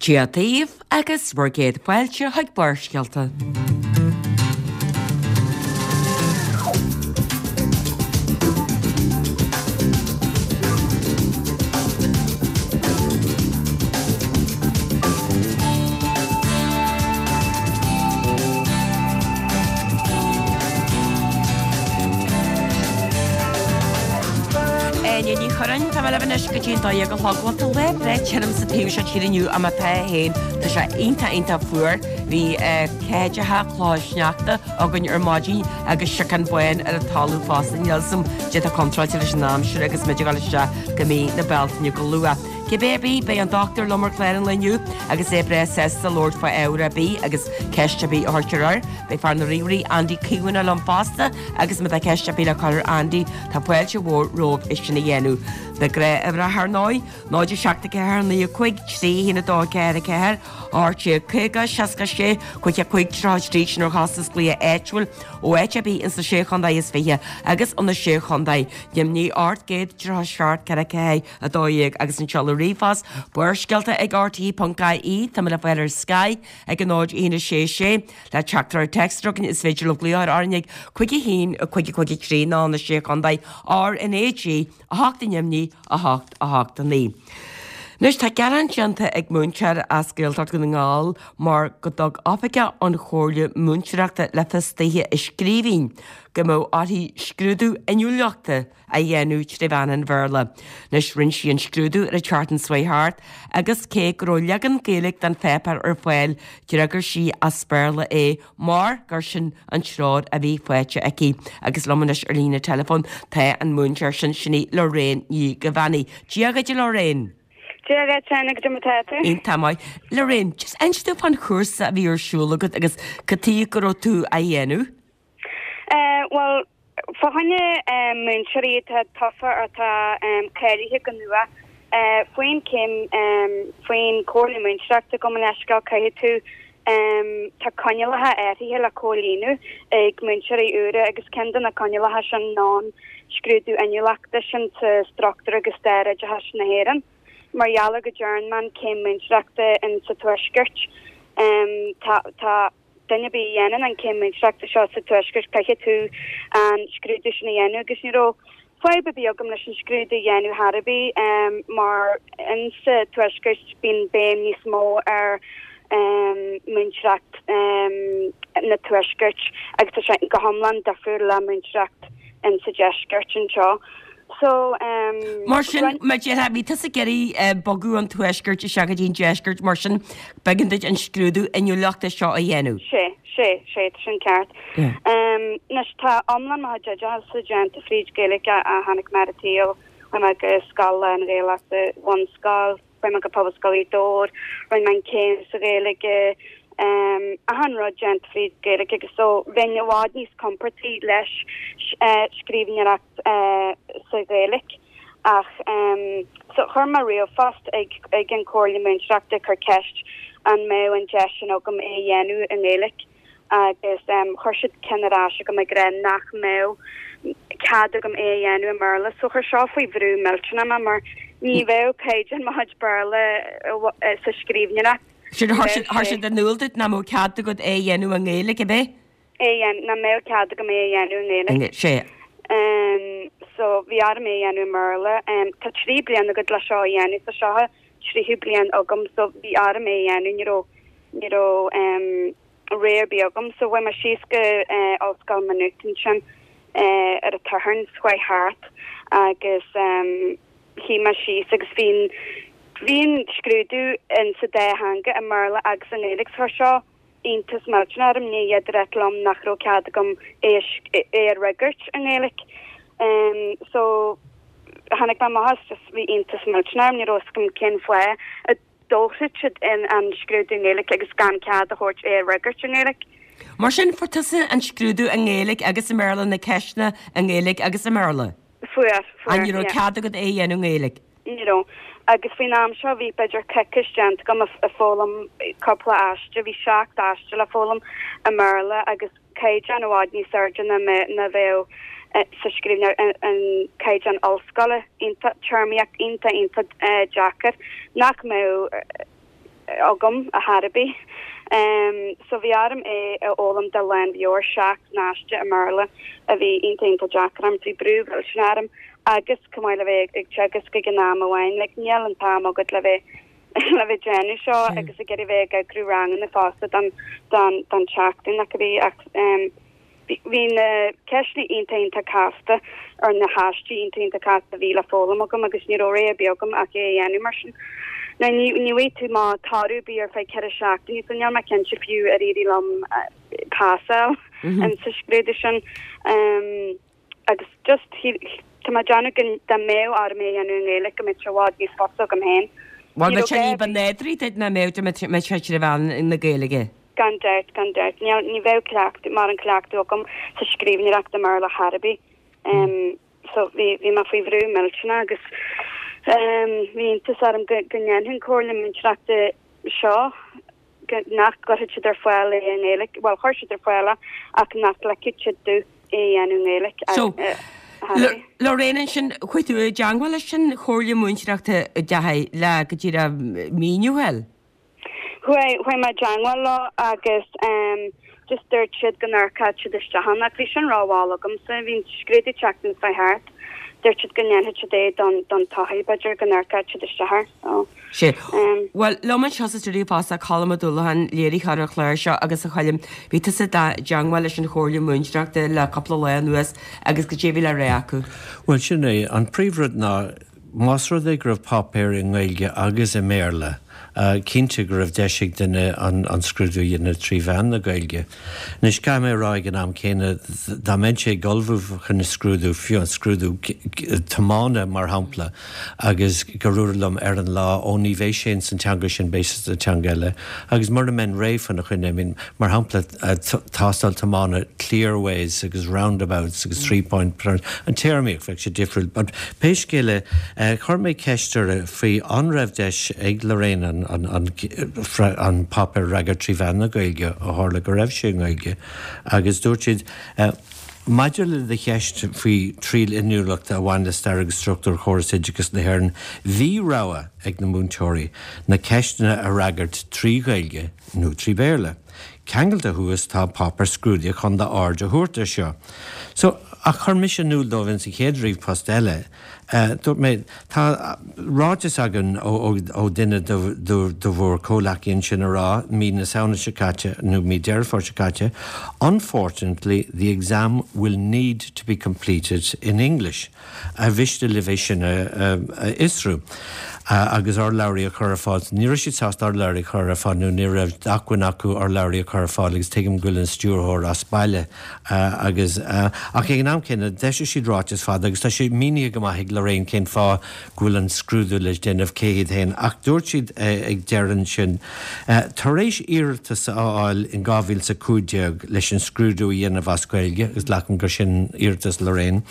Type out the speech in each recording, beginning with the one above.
Dia daoibh agus bhur gcéad fáilte chuig Barrscéalta. Áine Ní Churráin, tá mé libh anois go dtí an 12 a chlog. Bhuel, tá lá breá tirim sa taobh seo tíre inniu ach má tá féin, tá sé iontach iontach fuar. Bhí ceathair clocha sneachta againn ar maidin agus siocán bán ar an talamh fosta. Níl 'fhios a'm caidé atá contráilte leis an aimsir agus muid ag dul isteach go mí na Bealtaine go luath. Cibé ar bith, beidh an dochtúir liom ar chlár an lae inniu agus é breá sásta labhairt fá ábhar ar bith agus ceist ar bith a chuirtear air. Beidh fear na ríomhairí Andy Caomhánach liom fosta agus má tá ceist ar bith le cur ar Andy, tá fáilte mhór romhaibh é sin a dhéanamh. Na gnáth-uimhreacha ar ndóigh, 0 7 4 9 5 3 1 2 4 4 18 50 66 55 33 sin ar chostas glaoch áitiúil ó áit ar bith ins na Sé Chontae is Fiche agus ó na Sé Chontae Dheimhnigh 837 4 4 12 agus an seoladh ríomhphost, Barrscéalta ag rte.ie, Tá mé le fáil ar Skype ag 0 1 6 6 Le teachtaireacht téacs chugainn is féidir libh glaoch ar RnaG 5 1 5 5 3 nó na Sé Chontae RnaG 8 i nDoimní 8 8 9. Anois tá gearán déanta ag múinteoir as Gaeltacht Dhún na nGall mar go dtug oifigeach ón Chomhairle Múinteoireachta le fios daoithe i scríbhinn go mbeadh uirthi scrúdú inniúlachta a dhéanamh tré mheán an Bhéarla. Anois rinne sí an scrúdú ar an tseachtain seo chuaigh thart agus cé go raibh leagan Gaeilge den pháipéar ar fáil d'fhreagair sí as Béarla é mar gur sin an treoir a bhí faighte aici. Agus liom anois ar líne teileafóin tá an múinteoir sin, sin í Lorraine Ní Dhuibheannaigh. Dia dhuit a Lorraine! Dia dhuit, Áine, goidé mar tá tú? Iontach maith. Lorraine, just inis domh fán chúrsa a bhí ar siúl agat agus cad tuige go raibh tú á dhéanamh? Eh, bhuel, Fá choinne múinteoirí atá tofa atá cáilithe go nua faoin céim faoin Chomhairle Múinteoireachta gabh mo leithscéal caithfidh tú tá coinníollacha áirithe le comhlíonadh ag múinteoirí úra agus ceann de na coinníollacha sin ná an scrúdú inniúlachta sin sa struchtúr agus stair oideachais na hÉireann. Mar gheall ar go dtearn mé an céim múinteoireachta in sa Tuaisceart tá tá duine ar bith a dhéanann an céim múinteoireachta seo sa Tuaisceart, caithfidh tú an scrúdú sin a dhéanamh agus ní raibh fadhb ar bith agam leis an scrúdú a dhéanamh chor ar bith mar in sa Tuaisceart bíonn béim níos mó ar múinteoireacht na Tuaiscirt agus tá sé go hiomlán difriúil le múinteoireacht in sa Deisceart anseo. So, Mar sin, má déarfá, bhí tusa ag iarraidh bogadh ón Tuaisceart isteach go dtí an Deisceart, mar sin, b'éigean duit an scrúdú inniúlachta seo a dhéanamh. Sé, sé, sé, tá sin ceart. Anois, tá iomlán mo chuid oideachais déanta fríd Gaeilge a tháinig mé ar an tsaol, chuaigh mé go scoil lán-Ghaelach sa bhunscoil, Chuaigh mé go Pobalscoil Ghaoth Dobhair, rinne mé an céim sa Ghaeilge, achan rud déanta fríd Gaeilge agus so bheinn i bhfad níos compordaí leis scríbhneoireacht sa Ghaeilge. Ach so chuir mé ríomhphost ag ag an Chomhairle Múinteoireachta ag cur ceist an mbeadh an deis sin agam é a dhéanamh i nGaeilge. agus chuir siad ceann ar ais chugam ag rá nach mbeadh cead agam é a dhéanamh i mBéarla. So chuir seo faoi bhrú millteanach mé mar ní bheadh caighdeán mo chuid Béarla sa scríbhneoireacht. Sin, chuir siad in iúl duit nach mbeadh cead agat é a dhéanamh i nGaeilge, ab é? É a dhéanamh, nach mbeadh cead agam é a dhéanamh i nGaeilge. Sea. So bhí orm é a dhéanamh i mBéarla. Tá 3 bliana agat le seo a dhéanamh, so seo tríú bliain agam so bhí orm é a dhéanamh, ní raibh, ní raibh em rogha ar bith agam so chuaigh mé síos go eh Ollscoil Maynooth ansin eh ar an tSatharn seo chuaigh thart agus em shuigh mé síos agus bhí an, bhí an scrúdú in sa dá theanga, i mBéarla agus i nGaeilge so chuir seo iontas millteanach orm, ní fhéadfadh ráit liom nach raibh cead agam é a fhreagairt i nGaeilge. So, tháinig mé amach as, just bhí iontas millteanach orm, ní raibh fhios agam cén fáth a dtabharfadh siad an scrúdú i nGaeilge agus gan cead a thabhairt é a fhreagairt i nGaeilge. Mar sin, fuair tusa an scrúdú i nGaeilge agus i mBéarla, na ceisteanna i nGaeilge agus i mBéarla? Fuair, fuair, yeah. Ní raibh cead agat é a dhéanamh i nGaeilge? Ní raibh. Agus faoin am seo bhí b'fhéidir coicís déanta agam ag foghlaim cúpla aiste, bhí 7 aiste le foghlaim i mBéarla agus caighdeán i bhfad níos airde ná ná bheadh sa scríbhneoireacht, an caighdeán ollscoile, iontach, téarmaíocht iontach iontach deacair nach mbeadh. agam ar chor ar bith. So bhí orm é a fhoghlaim de lánmheabhair, 7 n-aiste i mBéarla a bhí iontach iontach deacair orm, bhí brú mhillteanach orm agus chomh maith le bheith ag teagasc ag an am amháin, like níl an t-am agat le bheith le bheith ag déanamh seo agus ag iarraidh bheith ag eagrú ranganna fosta don don don tseachtain nach a bhí ach Bhí na ceisteanna iontach iontach casta ar na haistí iontach iontach casta a bhí le foghlaim agam agus ní raibh rogha ar bith agam ach é a dhéanamh mar sin. Now ní ní bhfaighidh tú amach toradh ar bith ar feadh 4 seachtainí so níl mé cinnte fiú ar éirigh liom pasáil in sa scrúdú sin. Agus just tá mé ag déanamh go dá mbeadh orm é a dhéanamh i nGaeilge go mbeadh sé i bhfad níos fusa agam féin. Bhuel, bheadh sé ní ba nádúraí duit ná mbeadh dá mbeadh sé trí mheán na Gaeilge. Gan dabht, gan dabht. Níl, ní bheadh cleachtadh, mórán cleachtadh agam sa scríbhneoireacht i mBéarla chor ar bith. So bhí, bhí mé faoi bhrú millteanach agus bhí iontas orm go, go ndéanfadh an Comhairle Múinteoireachta seo, go, nach gcuirfeadh siad ar fáil é i nGaeilge, bhuel chuir siad ar fáil é ach nach ligfeadh siad domh é a dhéanamh i nGaeilge. So, Lorraine ansin, chuaigh tú i dteangmháil leis an Chomhairle Múinteoireachta an ndeachaigh le go díreach míniú a fháil? Chuaigh, chuaigh mé i dteangmháil leo agus just dúirt siad go n-amharcfadh siad isteach ann ach bhí sin rómhall agamsa, bhí an scrúdú tseachtain fá thart, dúirt siad go ndéanfadh siad é don, don todhchaí b'fhéidir go n-amharcfadh siad isteach air. So. Sea. Bhuel, liom anseo sa stiúideo fosta, Colm Ó Dúlacháin, léiritheoir an chláir seo agus a Choilm, bhí tusa i dteangmháil leis an Chomhairle Múinteoireachta le cúpla lá anuas agus goidé a bhí le rá acu. Bhuel, sin é. An príomhrud ná, más rud é go raibh páipéar i nGaeilge agus i mBéarla, cinnte go raibh deis ag duine an scrúdú a dhéanamh trí mheán na Gaeilge. Anois, caithfidh mé a rá ag an am céanna, dá mbeinnse ag ullmhú chun an scrúdú, fiú an scrúdú tiomána, mar shampla, agus gur dúradh liom ar an lá, ó ní bheidh sé ins an teanga sin, beidh sé sa teanga eile, agus mura mbeinn réidh faoina choinne, I mean, mar shampla, tástáil tiomána, clearways agus roundabouts agus three point turns, an téarmaíocht, bheadh sé difriúil. But pé scéal é, chuir mé ceist uirthi faoi an raibh deis ag Lorraine an, an, an, an páipéar a fhreagairt trí mheán na Gaeilge, ó tharla go raibh sé i nGaeilge, agus dúirt siad, Maidir le do cheist faoi triail inniúlachta a bhain le stair agus struchtúr chóras oideachais na hÉireann, bhí rogha ag na múinteoirí na ceisteanna a fhreagairt trí Ghaeilge nó trí Bhéarla. Ceangailte thuas tá páipéar scrúdaithe chun d'aird a thabhairt air seo. So, ach chuir mise in iúl dóibh ins an chéad ríomhphost eile, Dúirt mé, tá ráiteas againn ó duine de bhur comhleacaí ansin a rá mí na Samhna seo caite, nó mí Deireadh Fómhair seo caite, 'Unfortunately, the exam will need to be completed in English. Ar mhiste libh é sin a fhiosrú agus urlabhraí a chur ar fáil? Ní raibh siad sásta urlabhraí a chur ar fáil nó ní raibh d'acmhainn acu urlabhraí a chur ar fáil agus tuigim go bhfuil an stiúrthóir as baile. Agus, ach ag an am céanna, d'eisigh siad ráiteas fada agus tá sé mínithe go maith ag Lorraine cén fáth go bhfuil an scrúdú le déanamh cé hiad féin. Ach dúirt siad ag deireadh ansin, tar éis iarratas a fháil in 2015 leis an scrúdú a dhéanamh as Gaeilge, agus glacaim gur sin iarratas Lorraine,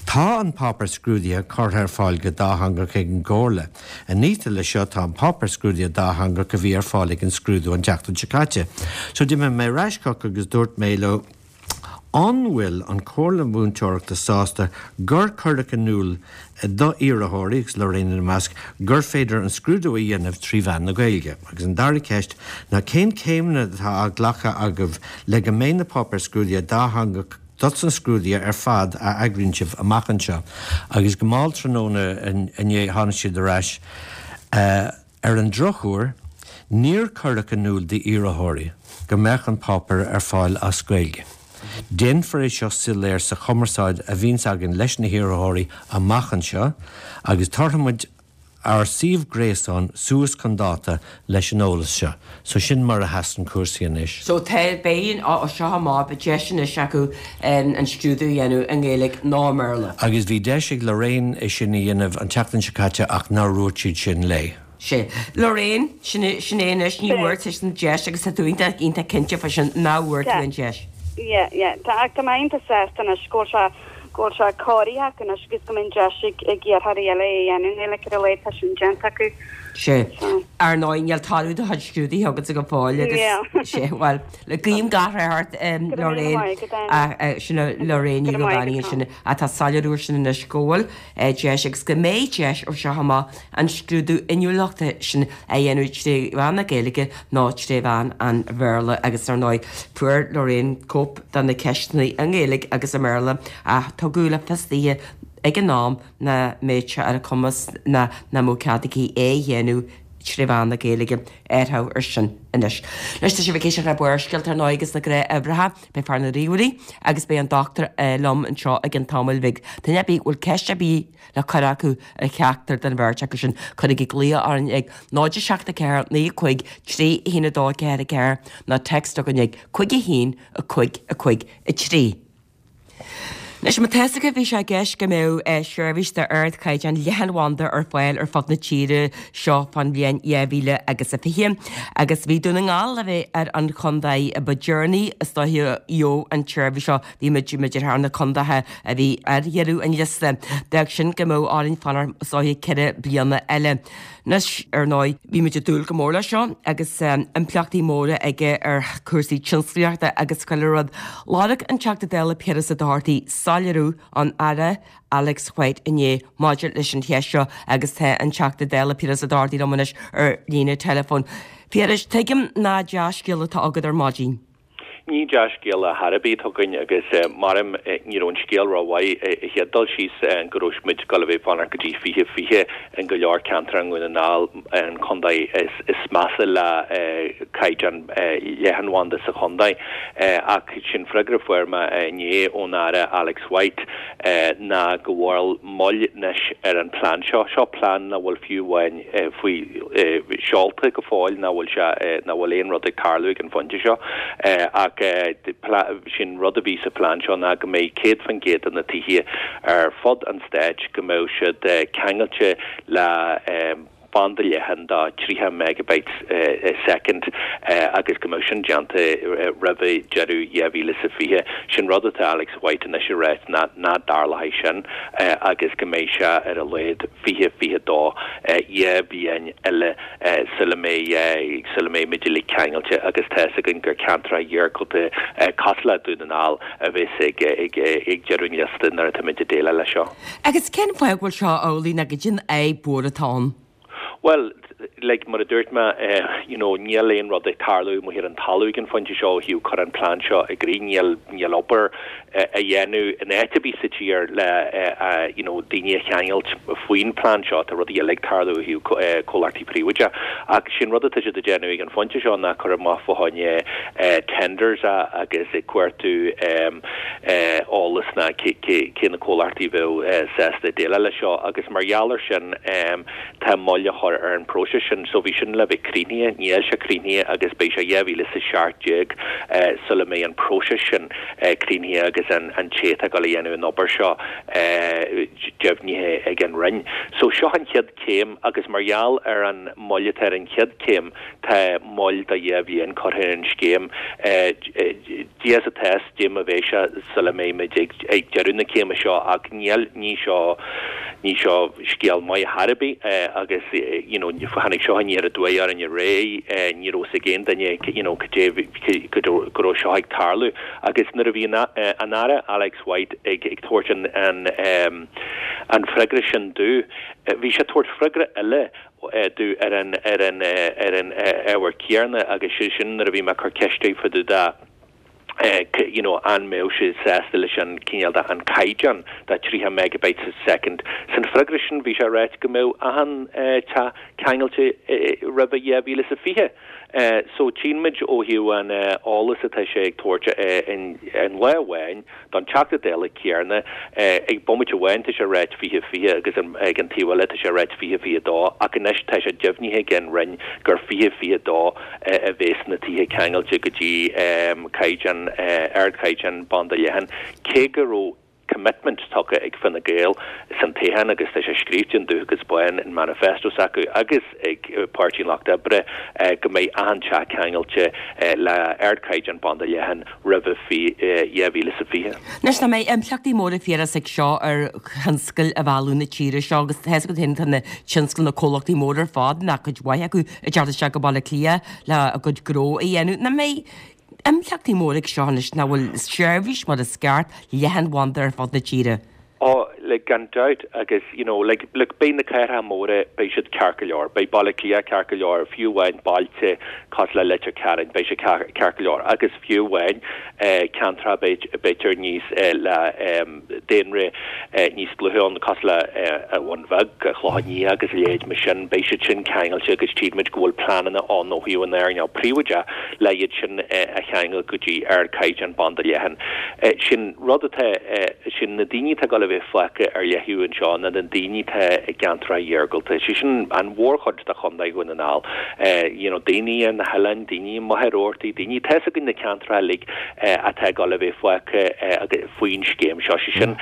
tá an páipéar scrúdaithe curtha ar fáil go dátheangach ag an gComhairle. Iniata leis seo tá an páipéar scrúdaithe dátheangach a bhí ar fáil ag an scrúdú an tseachtain seo caite. So d'imigh mé ar ais chucu agus dúirt mé leo, An bhfuil an Chomhairle Mhúinteoireachta sásta gur cuireadh in iúl do iarrthóirí, agus Lorraine ina measc, gur féidir an scrúdú a dhéanamh trí mheán na Gaeilge? Agus an dara ceist ná cén céimeanna atá á nglacadh agaibh le go mbeidh na páipéir scrúdaithe dátheangach dos na scrúduithe ar fad a eagraíonn sibh amach anseo agus go mall tráthnóna inné tháinig siad ar ais. Ar an drochuair, níor cuireadh in iúl d'iarrthóirí go mbeadh an páipéar ar fáil as Gaeilge. Déanfar é seo soiléir sa chumarsáid a bhíonns againn leis na hiarrthóirí amach anseo agus tabharfaimid ár suíomh gréasáin suas chun dáta leis an eolas seo. So sin mar a sheasann cúrsaí anois. So tá, beidh, ó seo amach, beidh deis anois acu an scrúdú a dhéanamh i nGaeilge nó i mBéarla. Agus bhí deis ag Lorraine é sin a dhéanamh an tseachtain seo caite ach nár dhúirt siad sin léi. Sea. Lorraine, sin é, sin é anois, ní bhfuair tusa an deis agus tá tú iontach, iontach cinnte fá sin nach bhfuair tú an deis. Yeah, yeah. Tá, ach tá mé iontach sásta anois go bhfuil sé, go bhfuil sé cóirithe acu anois agus go mbeidh an deis ag, ag iarrthóirí eile é a dhéanamh i nGaeilge ar a laghad tá sin déanta acu. Sea. Ar ndóigh, níl toradh do chuid scrúduithe agatsa go fóill agus, sea, bhuel, le guím gach rath ort, Lorraine, sin Lorraine Ní Dhubhánaigh ansin, atá soiléiriú air sin anois go bhfuil deis agus go mbeidh deis ó seo amach an scrúdú inniúlachta sin a dhéanamh tré mheán na Gaeilge nó tré mheán an Bhéarla agus ar ndóigh fuair Lorraine cóip de na ceisteanna i nGaeilge agus i mBéarla ach tugadh le fios daoithe ag an am nach mbeadh sé ar a cumas ná nach mbeadh cead aici é a dhéanamh tré mheán na Gaeilge. Athrú ar sin anois. Anois tá sibh ag éisteacht le Barrscéalta ar ndóigh agus na gnáthuimhreacha. Beidh fear na ríomhairí agus beidh an dochtúir liom anseo i gcionn tamaill bhig. Duine ar bith a bhfuil ceist ar bith le cur acu ar cheachtar den bheirt acu sin, cuirigí glaoch orainn ag 0 7 4 9 5 3 1 2 4 4 nó text chugainn ag 5 1 5 5 3. Anois, má tá fhios agaibh, bhí sé i gceist go mbeadh seirbhís d'ardchaighdeán leathanbhanda ar fáil ar fud na tíre seo fán bhliain 2000 agus a 20, agus bhí Dún na nGall le bheith ar an chontae ba deireanaí is dóiche a gheobhadh an tseirbhís seo. Bhí muid, b'fhéidir, thar na contaetha a bhí ar dheireadh an liosta. D'fhág sin go mbeadh orainn fanacht is dóiche 4 bliana eile. Anois, ar ndóigh, bhí muid ag dúil go mór leis seo agus impleachtaí móra aige ar chúrsaí tionsclaíochta agus chuile rud. Lorg an Teachta Dála Piaras Ó Dochartaigh soiléiriú ón Aire Alex White inné maidir leis an cheist seo agus tá an Teachta Dála Piaras Ó Dochartaigh liom anois ar líne teileafóin. Phiarais, tuigim nach dea-scéal atá agat ar maidin. Ní dea-scéal ar chor ar bith atá againn agus maram ní raibh an scéal rómhaith ar an chéad dul síos go raibh muid ag dul a bheith ag fanacht go dtí 2020 in go leor ceantar i nDún na nGall, an contae is measa le caighdeán leathanbhanda sa chontae. Ach sin freagra a fuair mé inné ón Aire Alex White ná go bhfuil moill anois ar an plean seo. Seo plean nach bhfuil fiú amháin faoi seolta go fóill, nach bhfuil sé, nach bhfuil aon rud ag tarlú ag an phointe seo. Ach sin rud a bhí sa phlean seo ná go mbeidh 100% de na tithe ar fud an stáit, go mbeadh siad ceangailte le banda leathan de 30 megabytes a second agus go mbeadh sin déanta roimh deireadh 2020. Sin rud atá Alex White anois ag ráit ná nach dtarlóidh sin agus go mbeidh sé ar a laghad 2022, 2 bhliain eile sula mbeidh sula mbeidh muid uilig ceangailte agus tá fhios againn gur ceantracha iargúlta cosúil le Dún na nGall a bheas ag ag ag deireadh an liosta nuair atá muid ag déileáil leis seo. Agus cén fáth go bhfuil seo amhlaidh nó goidé an fhadhb mhór atá ann? Bhuel, like, mar a dúirt mé, you know, níl aon rud ag tarlú amuigh ar an talamh ag an phointe seo ó thaobh cur an plean seo i gcrích. Níl, níl obair á dhéanamh in áit ar bith sa tír le, you know, daoine a cheangailt faoin plean seo. Tá rudaí eile ag tarlú ó thaobh comhlachtaí príobháideacha. Ach sin rud atá siad ag déanamh ag an phointe seo ná cur amach fá choinne tenders agus ag cuartú eolas ná cé na comhlachtaí a bheadh sásta déileáil leis seo agus mar gheall air sin tá moill á chur ar an bpróiseas sin. So bhí sin le bheith críochnaithe, níl sé críochnaithe agus beidh sé 2017 sula mbeidh an próiseas sin críochnaithe agus an té atá ag dul a dhéanamh an obair seo deimhnithe ag an Roinn. So seo an chéad chéim agus mar gheall ar an moill atá ar an chéad chéim tá moill de dhá bhliain curtha ar an scéim. Dia is atá fhios goidé mar a bheidh sé sula mbeidh muid ag deireadh na céime seo ach níl, ní seo, ní seo scéal maith ar chor ar bith agus you know tháinig seo aniar aduaidh orainn aréir, ní raibh fhios ag aon duine you know cad é go raibh seo ag tarlú agus nuair a bhí an Aire Alex White ag tabhairt an an freagra sin domh, bhí sé ag tabhairt freagra eile domh ar an ar an ar an ábhar céanna agus sé sin nuair a bhí mé ag cur ceiste air fá dtaobh de you know an mbeadh sé sásta leis an cineál de an caighdeán de 30 megabytes a second. San freagra sin bhí sé ag ráit go mbeadh achan teach ceangailte roimhe 2020. So tchíonn muid ó thaobh an eolas atá sé ag tabhairt in lá amháin don Teachta Dála céanna, ag bomaite amháin tá sé ag ráit 2020 agus ag an taobh eile tá sé ag ráit 2022 ach anois tá sé deimhnithe ag an Roinn gur 2022 a bheas na tithe ceangailte go dtí caighdeán, ardchaighdeán banda leathan cé go raibh. commitment tugtha ag Fine Gael san toghchán agus tá sé scríofa in dubh agus bán in manifesto s'acu agus ag Páirtí an Lucht Oibre go mbeidh achan teach ceangailte le ardchaighdeán banda leathan roimhe 2020. Anois, nach mbeidh impleachtaí móra Phiarais ag seo ar thionscail a mhealladh na tíre seo agus tá fhios agat féin tá na tionscail, na comhlachtaí móra ar fad, nó cuid mhaith acu, ag teacht isteach go Baile Átha Cliath le a gcuid gnó a dhéanamh. Nach mbeidh impleachtaí móra ag seo anois nach bhfuil seirbhís mar is ceart leathanbhanda ar fud na tíre? Oh, like, gan dabht, agus, you know, like, look, beidh na cathracha móra, beidh siad ceart go leor, beidh Baile Átha Cliath ceart go leor, fiú amháin bailte cosúil le Leitir Ceanainn, beidh sé ceart go leor, agus fiú amháin ceantracha b'fhéidir níos, le daonra níos dlúithe ann, cosúil le an Bhun Bheag, an Clochán Liath agus a leithéid mar sin, beidh siad sin ceangailte agus tchímid go bhfuil pleananna ann ó thaobh an earnáil príobháideach le iad sin a cheangal go dtí ardchaighdeán banda leathan. Sin rud atá, sin na daoine atá ag dul a bheith fágtha ar leaththaobh anseo ná na daoine atá i gceantracha iargúlta, sé sin an mhórchuid de Chontae Dhún na nGall. You know, daoine ar na hoileáin, daoine i Machaire Rabhartaigh, daoine, tá fhios againn na ceantracha uilig atá ag dul a bheith fágtha faoin scéim seo, sé sin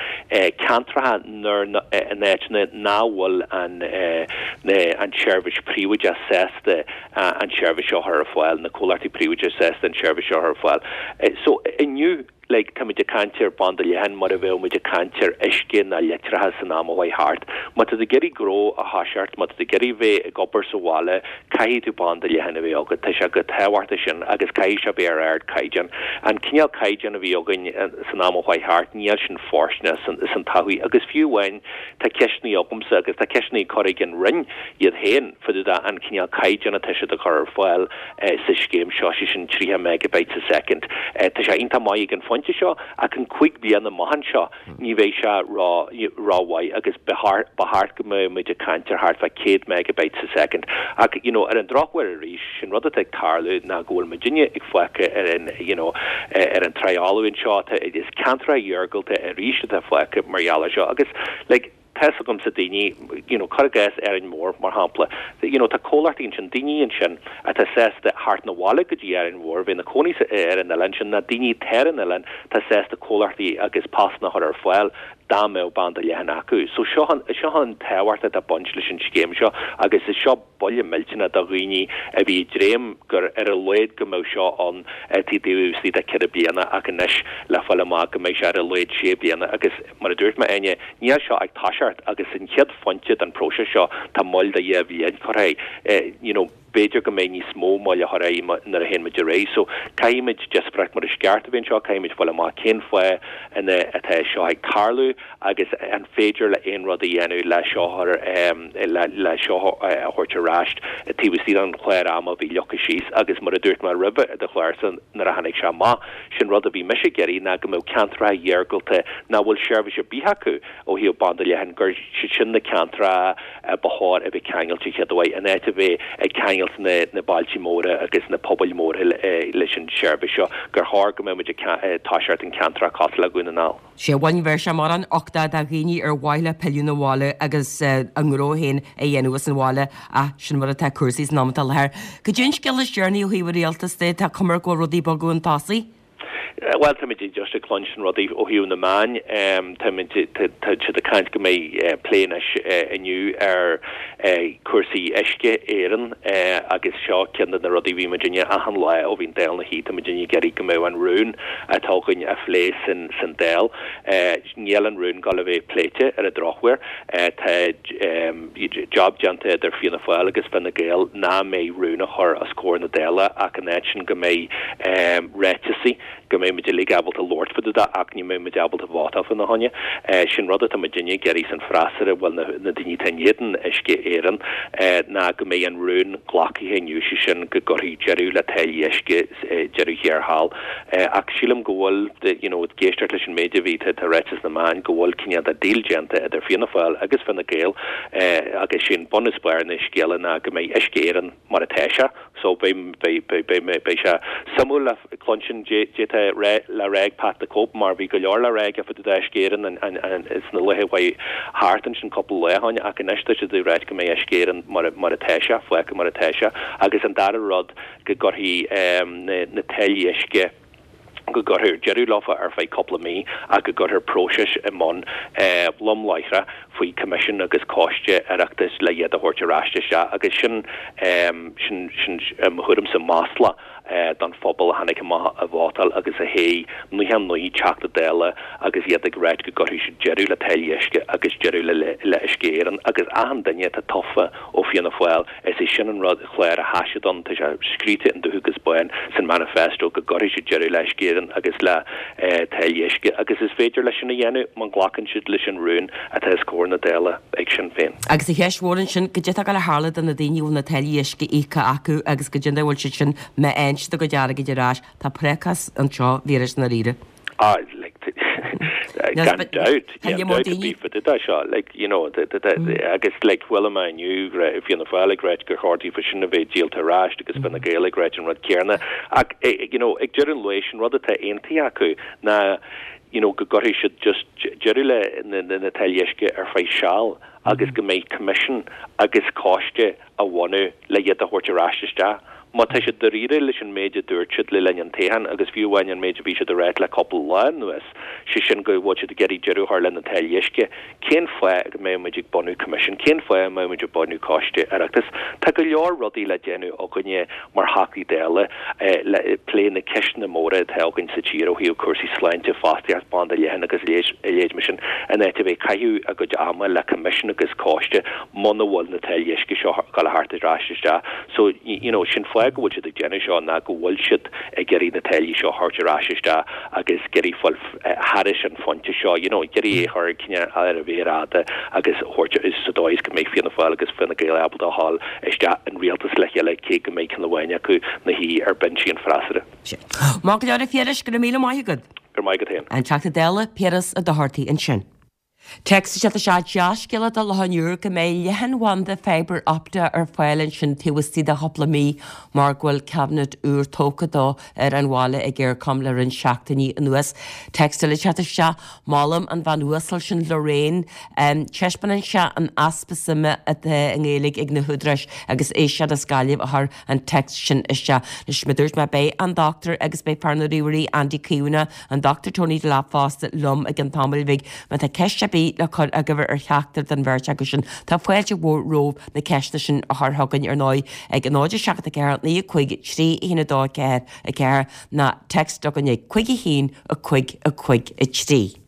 ceantracha nuair, in áiteanna nach bhfuil an, an tseirbhís phríobháideach sásta an tseirbhís seo a chur ar fáil, na comhlachtaí príobháideacha sásta an tseirbhís seo a chur ar fáil. So inniu, like, táimid ag caint ar banda leathan mar a bheadh muid ag caint ar uisce ná leictreachas san am a chuaigh thart. Má tá tú ag iarraidh gnó a thoiseacht, má tá tú ag iarraidh bheith ag obair sa bhaile, caithfidh tú banda leathan a bheith agat. Tá sé chomh tábhachtach sin agus caithfidh sé bheith ar ardchaighdeán. An cineál caighdeán a bhí againn san am a chuaigh thart, níl sin fóirsteanach san todhchaí agus fiú amháin tá ceisteanna agamsa agus tá ceisteanna curtha ag an Roinn iad féin fá dtaobh de an cineál caighdeán atá siad a chur ar fáil sa scéim seo, sé sin 30 megabytes a second. Tá sé iontach maith ag an phointe seo ach in 5 bliana amach anseo ní bheidh sé ró-mhaith agus ba cheart go mbeadh muid ag caint ar thart fá 100 megabytes a second. Ach you know ar an drochuair arís, sin rud atá ag tarlú ná go bhfuil muidinne ag fágtha ar an you know ar an tráigh fholamh anseo. Tá is ceantracha iargúlta arís atá fágtha mar gheall air seo agus like Tá's agamsa daoine, you know, cuir i gcás Árainn Mhór, mar shampla, you know, tá comhlachtaí ansin, daoine ansin atá sásta theacht 'na bhaile go dtí Árainn Mhór, bheith ina cónaí ar an oileán sin, ná daoine atá ar an oileán atá sásta comhlachtaí agus postanna a chur ar fáil dá mbeadh banda leathan acu. So seo an, seo an tábhacht atá ag baint leis an scéim seo agus is seo buille millteanach do dhaoine a bhí ag dréim gur ar a laghad go mbeadh seo ann taobh istigh de cheithre bliana ach anois le fáil amach go mbeidh sé ar a laghad sé bliana agus Mar a dúirt mé, Áine, níl seo ag toiseacht agus an chéad phointe den próiseas seo tá moill de dhá bhliain curtha air. You know, b'fhéidir go mbeidh níos mó moille á chur air nuair a théann muid ar aghaidh. So, caithfidh muid díospóireacht mar is ceart a bheith anseo, caithfidh muid fáil amach cén fáth ina atá seo ag tarlú agus an féidir le aon rud a dhéanamh le seo a chur, le le seo a thabhairt ar ais taobh istigh den chlár ama a bhí leagtha síos agus mar a dúirt mé roimhe i do chlársa nuair a tháinig sé amach, Sin rud a bhí mise ag iarraidh ná go mbeadh ceantracha iargúlta nach bhfuil seirbhís ar bith acu ó thaobh banda leathan, gur siad sin na ceantracha ba chóir a bheith ceangailte chéaduair, in áit a bheith ag ceangailt na na bailtí móra agus na pobail mhóra leis an seirbhís seo, gur chóir go mbeadh muid ag toiseacht in ceantracha cosúil le Dhún na nGall. Sea, bhuel ní bheidh sé mórán uchtach do dhaoine ar mhaith leo pilleadh 'na bhaile agus a ngnó féin a dhéanamh as an bhaile ach sin mar atá cúrsaí san am atá i láthair. Cad é an scéal is deireanaí ó thaobh an rialtais de, tá cuma air go bhfuil rudaí ag bogadh chun tosaigh? Bhuel, táimid just ag cluinstin rudaí ó thaobh na meáin. Táimid, tá siad ag caint go mbeidh plé anois inniu ar cúrsaí Uisce Éireann agus seo ceann de na rudaí a bhí muidinne achan lá ó bhí an Dáil 'na shuí, tá muidinne ag iarraidh go mbeadh an rún atá againn á phlé san Dáil. Níl an rún ag dul a bheith pléite ar an drochuair. Tá job déanta idir Fianna Fáil agus Fine Gael nach mbeidh rún á chur os comhair na Dála ach in áit sin go mbeidh ráiteasaí, go mbeidh muid uilig ábalta labhairt fá dtaobh de ach ní mbeidh muid ábalta vótáil fána choinne. Sin rud atá muidinne ag iarraidh san freasúra, bhuel na daoine atá in éadan Uisce Éireann, ná go mbeidh an rún glactha inniu, sé sin go gcuirfí deireadh le táillí uisce deireadh thiar thall. Ach sílim go bhfuil, you know, ag éisteacht leis an méid a bhí, tá ráite sna meáin go bhfuil cineál de deal déanta idir Fianna Fáil agus Fine Gael agus sé'n bun is barr na scéala ná go mbeidh Uisce Éireann mar atá sé. So beidh, beidh, beidh, beidh, beidh sé suimiúil le cluinstin caidé atá le rá ag Pat the Cope mar bhí go leor le rá aige fá dtaobh d'Uisce Éireann an, an, an, sna laethe a chuaigh thart ansin cúpla lá ó shin ach anois tá siad ag ráit go mbeidh Uisce Éireann mar, mar atá sé, fágtha mar atá sé. Agus an dara rud, go gcuirfí na táillí uisce. go gcuirfear deireadh leofa ar feadh cúpla mí ach go gcuirfear próiseas i mbun lom láithreach faoi coimisiún agus coiste Oireachtais le iad a thabhairt ar ais isteach agus sin, sin, sin, i mo thuairimse, masla don phobal a tháinig amach a vótáil agus a thoghadh 99 Teachta Dála agus iad ag ráit go gcuirfidh siad deireadh le táillí uisce agus deireadh le le Uisce Éireann agus achan duine atá tofa ó Fianna Fáil is é sin an rud clár atá siad ann tá sé scríte in dubh agus bán san manifesto go gcuirfidh siad deireadh le Uisce Éireann agus le táillí uisce agus is féidir leis sin a dhéanamh má ghlacann siad leis an rún atá os comhair na Dála ag Sinn Féin. Agus an cheist mhór ansin, goidé atá ag gabháil a tharlú do na daoine a bhfuil na táillí uisce íoctha acu agus goidé an dóigh a bhfuil siad sin, má fhaigheann siad a gcuid airgid ar ais, tá prácás anseo, a Phiarais, i ndáiríre. Ah, like, gan dabht, gan dabht ar bith fá dtaobh de seo, like, you know, agus, like, chuala mé inniu Fianna Fáil ag ráit gur chóir daofa sin a bheith díolta ar ais agus Fine Gael ag ráit an rud céanna. Ach, you know, ag deireadh an lae, sin rud atá aontaithe acu ná, you know, go gcuirfidh siad just deireadh le na táillí uisce ar feadh seal agus go mbeidh coimisiún agus coiste a bhunú le iad a thabhairt ar ais isteach. Má tá siad dáiríre leis an méid a dúirt siad le linn an toghcháin agus fiú amháin an méid a bhí siad a ráit le cúpla lá anuas, sé sin go bhfuil siad ag iarraidh deireadh a chur le na táillí uisce, cén fáth go mbeadh muid ag bunú coimisiún? Cén fáth a mbeadh muid ag bunú coiste Oireachtais? Tá go leor rudaí le déanamh againne mar Theachtaí Dála le plé na ceisteanna móra atá againn sa tír ó thaobh cúrsaí sláinte, fostaíocht, banda leathan agus a leithéid mar sin, in áit a bheith ag caitheamh a gcuid ama le coimisiún agus coiste muna bhfuil na táillí uisce seo ag dul a theacht ar ais isteach. So, you know, sin fáth go bhfuil siad ag déanamh seo ná go bhfuil siad ag iarraidh na táillí seo a thabhairt ar ais isteach agus ag iarraidh fáil thairis an phointe seo, you know, ag iarraidh é a chur cineál ar an mhéar fhada agus a thabhairt sa dóigh is go mbeidh Fianna Fáil agus Fine Gael ábalta a ghabháil isteach in rialtas le chéile cé go mbeidh ceann amháin acu 'na shuí ar bhinsí an freasúra. Maith go leor a Phiarais, go raibh míle maith agat. Go raibh maith agat féin. An Teachta Dála, Piaras Ó Dochartaigh ansin. Téacs isteach Is é dea-scéala do Loch an Iúir go mbeidh leathanbhanda fibre optic ar fáil ansin taobh istigh de chúpla mí mar go bhfuil cabinet úr tógtha dó ar an bhaile ag Eircom le roinnt seachtainí anuas. Téacs eile ag teacht isteach, Molaim an bhean uasal sin Lorraine. Taispeánann sé an easpa suime atá i nGaeilge ag na húdaráis agus éisteoir as Gaillimh a chuir an téacs sin isteach. Anois, mar a dúirt mé, beidh an Dochtúir agus beidh fear na ríomhairí Andy Caomhánach, an Dochtúir Tony Delap fosta liom i gcionn tamaill bhig. Má tá ceist ar bith le cur agaibh ar cheachtar den bheirt acu sin, tá fáilte mhór romhaibh na ceisteanna sin a chur chugainn ar ndóigh ag 0 7 4 9 5 3 1 2 4 4 nó text chugainn ag 5 1 5 5 3.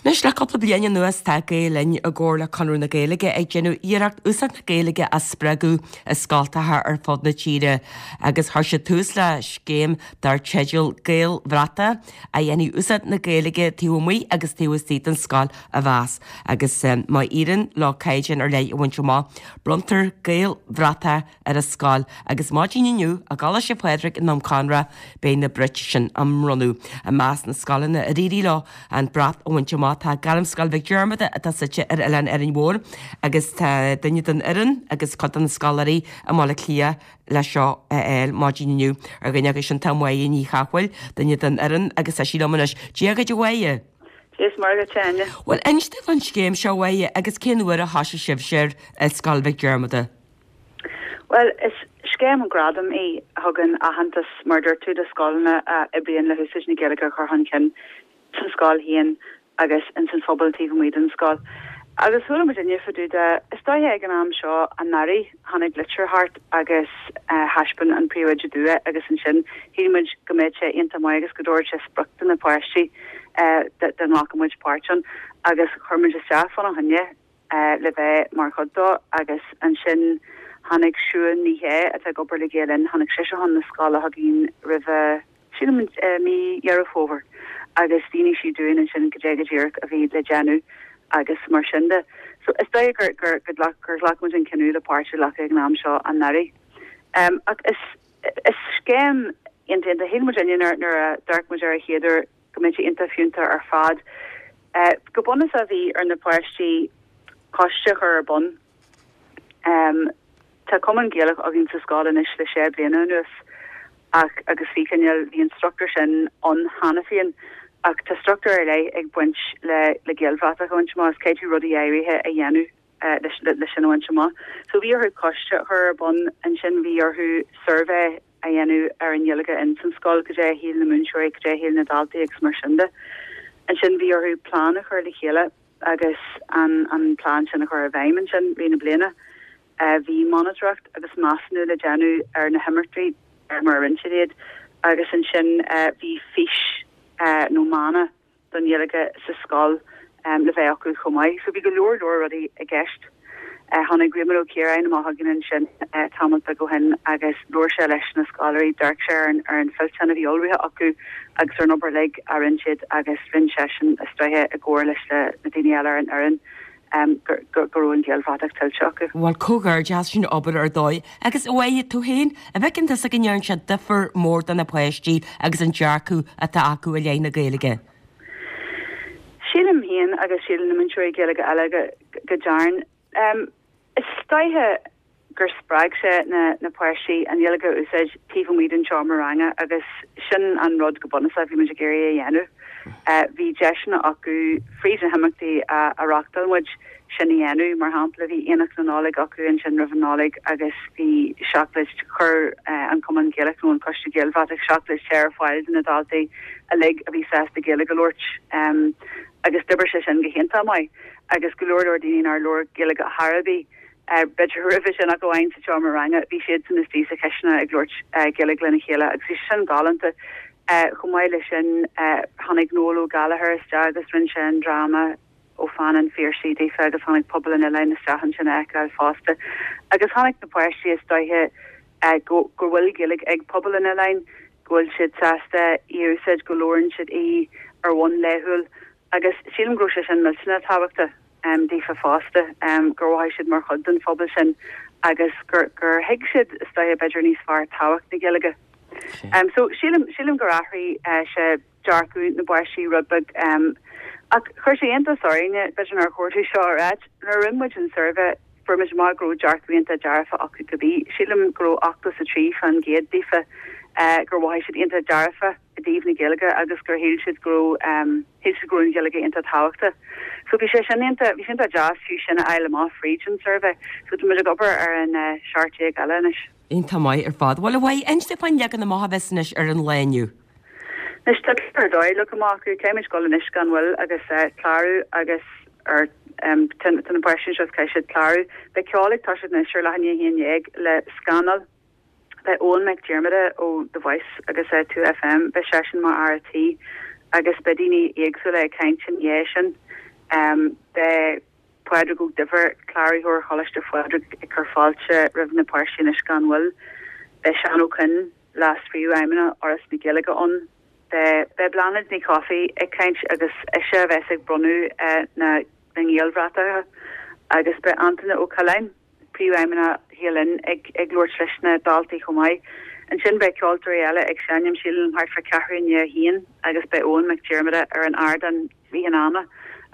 Anois le cúpla bliain anuas tá Gael Linn i gcomhar le Conradh na Gaeilge ag déanamh iarracht úsáid na Gaeilge a spreagadh i scoltacha ar fud na tíre agus chuir siad tús le scéim dar teideal Gaelbhratach a dhéanfaidh úsáid na Gaeilge taobh amuigh agus taobh istigh den scoil a mheas agus má éiríonn leo caighdeán ar leith a bhaint amach bronntar Gaelbhratach ar an scoil agus maidin inniu i gColáiste Phádraig i nDún Conra beidh na brait sin á mbronnadh. I measc na scoileanna ar éirigh leo an brat a bhaint amach tá Gairmscoil Mhic Diarmada atá suite ar Oileán Árainn Mhór agus tá duine den fhoireann agus cuid de na scoláirí i mBaile Átha Cliath le seo a fháil maidin inniu. Ar dhuine acu sin tá Máire Ní Chathmhaoil, duine den fhoireann agus tá sí liom anois. Dia dhuit a Mháire! Dia is Muire dhuit a Áine. Bhuel inis domh fán scéim seo a Mháire agus cén uair a thosaigh sibhse air i Scoil Mhic Diarmada? Bhuel, is scéim gradaim í a thugann aitheantas, mar a dúirt tú, do scoileanna a oibríonn le húsáid na Gaeilge a chur chun cinn sa scoil féin agus ins an phobal taobh amuigh den scoil. Agus chuala muidinne fá dtaobh de, is dóiche ag an am seo anuraidh, tháinig litir thart agus thaispeáin an príomhoide dúinn é agus ansin shíl muid go mbeadh sé iontach maith agus go dtabharfadh sé sprioc do na páistí dá nglacfadh muid páirt ann agus chuir muid isteach fána choinne. le bheith mar chuid dó agus ansin tháinig Siún Ní Shé, atá ag obair le Gael Linn, tháinig sise chun na scoile chugainn roimhe, sílim, mí Dheireadh Fómhair agus mhínigh sí dúinn ansin goidé go díreach a bhí le déanamh agus mar sin de. So is dóigh gur, gur, gur ghlac, gur ghlac muid an cinneadh le páirt a ghlacadh ag an am seo anuraidh. Ach is, is scéim iontach, iontach, shíl muidinne nuair, nuair a d'amharc muid air an chéad uair go mbeadh sé iontach fiúntach ar fad. Go bunúsach bhí ar na páistí coiste a chur ar bun. Tá Cumann Gaelach againn sa scoil anois le sé bliana anuas ach agus bhí cineál, bhí an struchtúr sin ann cheana féin ach tá struchtúr ar leith ag baint le le Gaelbhratach a bhaint amach, is caithfidh tú rudaí áirithe a dhéanamh le sin a bhaint amach. So bhí orthu coiste a chur ar bun, ansin bhí orthu suirbhé a dhéanamh ar an Ghaeilge. Ghaeilge ins an scoil, cad é a shíl na múinteoirí, cad é a shíl na daltaí agus mar sin de. Ansin bhí orthu plean a chur le chéile agus an an plean sin a chur i bhfeidhm ansin rith na bliana. Bhí monatóireacht agus measúnú le déanamh ar na himeachtaí mar a rinne siad iad agus ansin bhí fís nó mana don Ghaeilge sa scoil le bheith acu chomh maith. So bhí go leor leor rudaí i gceist. Tháinig Réamonn Ó Ciaráin amach chugainn ansin tamall beag ó shin agus labhair sé leis na scoláirí, d'amharc sé ar an ar an fillteán a bhí ullmhaithe acu agus ar an obair uilig a rinne siad agus rinne seisean is dóiche i gcomhar leis na daoine eile ar an fhoireann go go raibh an Ghaelbhratach tuillte acu. Bhuel, comhghairdeas, sin obair ar dóigh. Agus a Mháire, tú féin, an bhfeiceann tusa go ndearna sé difear mór do na páistí agus an dearcadh atá acu i leith na Gaeilge? Sílim féin agus síleann na múinteoirí Gaeilge eile go go dtearn. Is dóiche gur spreag sé na na páistí an Ghaeilge a úsáid taobh amuigh den seomra ranga agus sin an rud go bunúsach a bhí muid ag iarraidh a dhéanamh. Bhí deiseanna acu fríd na himeachtaí a a reáchtáil muid sin a dhéanamh. Mar shampla bhí Aonach na Nollag acu ansin roimh an Nollaig agus bhí seacláid, chuir an Cumann Gaelach nó an Coiste Gaelbhratach seacláid te ar fáil do na daltaí uilig a bhí sásta Gaeilge a labhairt agus d'oibrigh sé sin go hiontach maith agus go leor leor daoine nár labhair Gaeilge chor ar bith B'fhéidir roimhe sin ach amháin sa tseomra ranga, bhí siadsan istigh sa chisteanach ag labhairt Gaeilge lena chéile agus bhí sé sin galánta. Chomh maith leis sin, tháinig Noel Ó Gallchóir isteach agus rinne sé an dráma ó pheann an Phiarsaigh daofa agus tháinig pobal an oileáin isteach ansin a fheiceáil fosta. Agus chonaic na páistí is dóiche go bhfuil Gaeilge ag pobal an oileáin, go bhfuil siad sásta í a úsáid, go labhrann siad í ar bhonn laethúil agus sílim go raibh sé sin millteanach tábhachtach. daofa fosta, gur mhothaigh siad mar chuid den phobal sin agus gur gur thuig siad, is dóiche, b'fhéidir níos fearr tábhacht na Gaeilge. So sílim, sílim gur athraigh sé dearcadh na bpáistí rud beag. Ach chuir sé iontas orainne, b'fhéidir nár chóir dom seo a ráit, nuair a rinne muid an suirbhé fuair muid amach go raibh dearcadh iontach dearfa acu cibé. Sílim go raibh 83% daofa gur mhothaigh siad iontach dearfa. i dtaobh na Gaeilge agus gur shíl siad go raibh, shíl siad go raibh an Ghaeilge iontach tábhachtach. So bhí sé sin iontach, bhí sé iontach deas fiú sin a fháil amach fríd an suirbhé. So tá muid ag obair ar an 17 eile anois. Iontach maith ar fad. Bhuel, a Mháire, inis dúinn faoin leagan amach a bheas anois ar an lá inniu. Anois tá ar dóigh leagtha amach acu, caithfidh muid dul anois gan mhoill agus clárú agus ar tá na páistí anseo is caithfidh siad clárú. Beidh ceol ag toiseacht anois ar leath i ndiaidh a 11 le Scannal. Beidh Eoghan Mac Diarmada ó The Voice agus 2FM, beidh seisean mar fhear a' tí agus beidh daoine éagsúla ag caint ina dhiaidh sin. Beidh Pádraig Ó Duibhir, Cláraitheoir Choláiste Phádraig ag cur fáilte roimh na páistí anois gan mhoill. Beidh Seán Ó Coinn, Leas-Phríomhfheidhmeannach Fhoras na Gaeilge ann. Beidh Beidh Bláthnaid Ní Chofaigh ag caint agus ise a bheas ag bronnadh na nGaelbhratacha agus beidh Antaine Ó Coileáin, Príomhfheidhmeannach Ghael Linn ag labhairt leis na daltaí chomh maith. Ansin beidh ceoltóirí eile ag seinm, sílim thart fá ceathrú i ndiaidh a haon agus beidh Eoghan Mac Diarmada ar an ardán rith an ama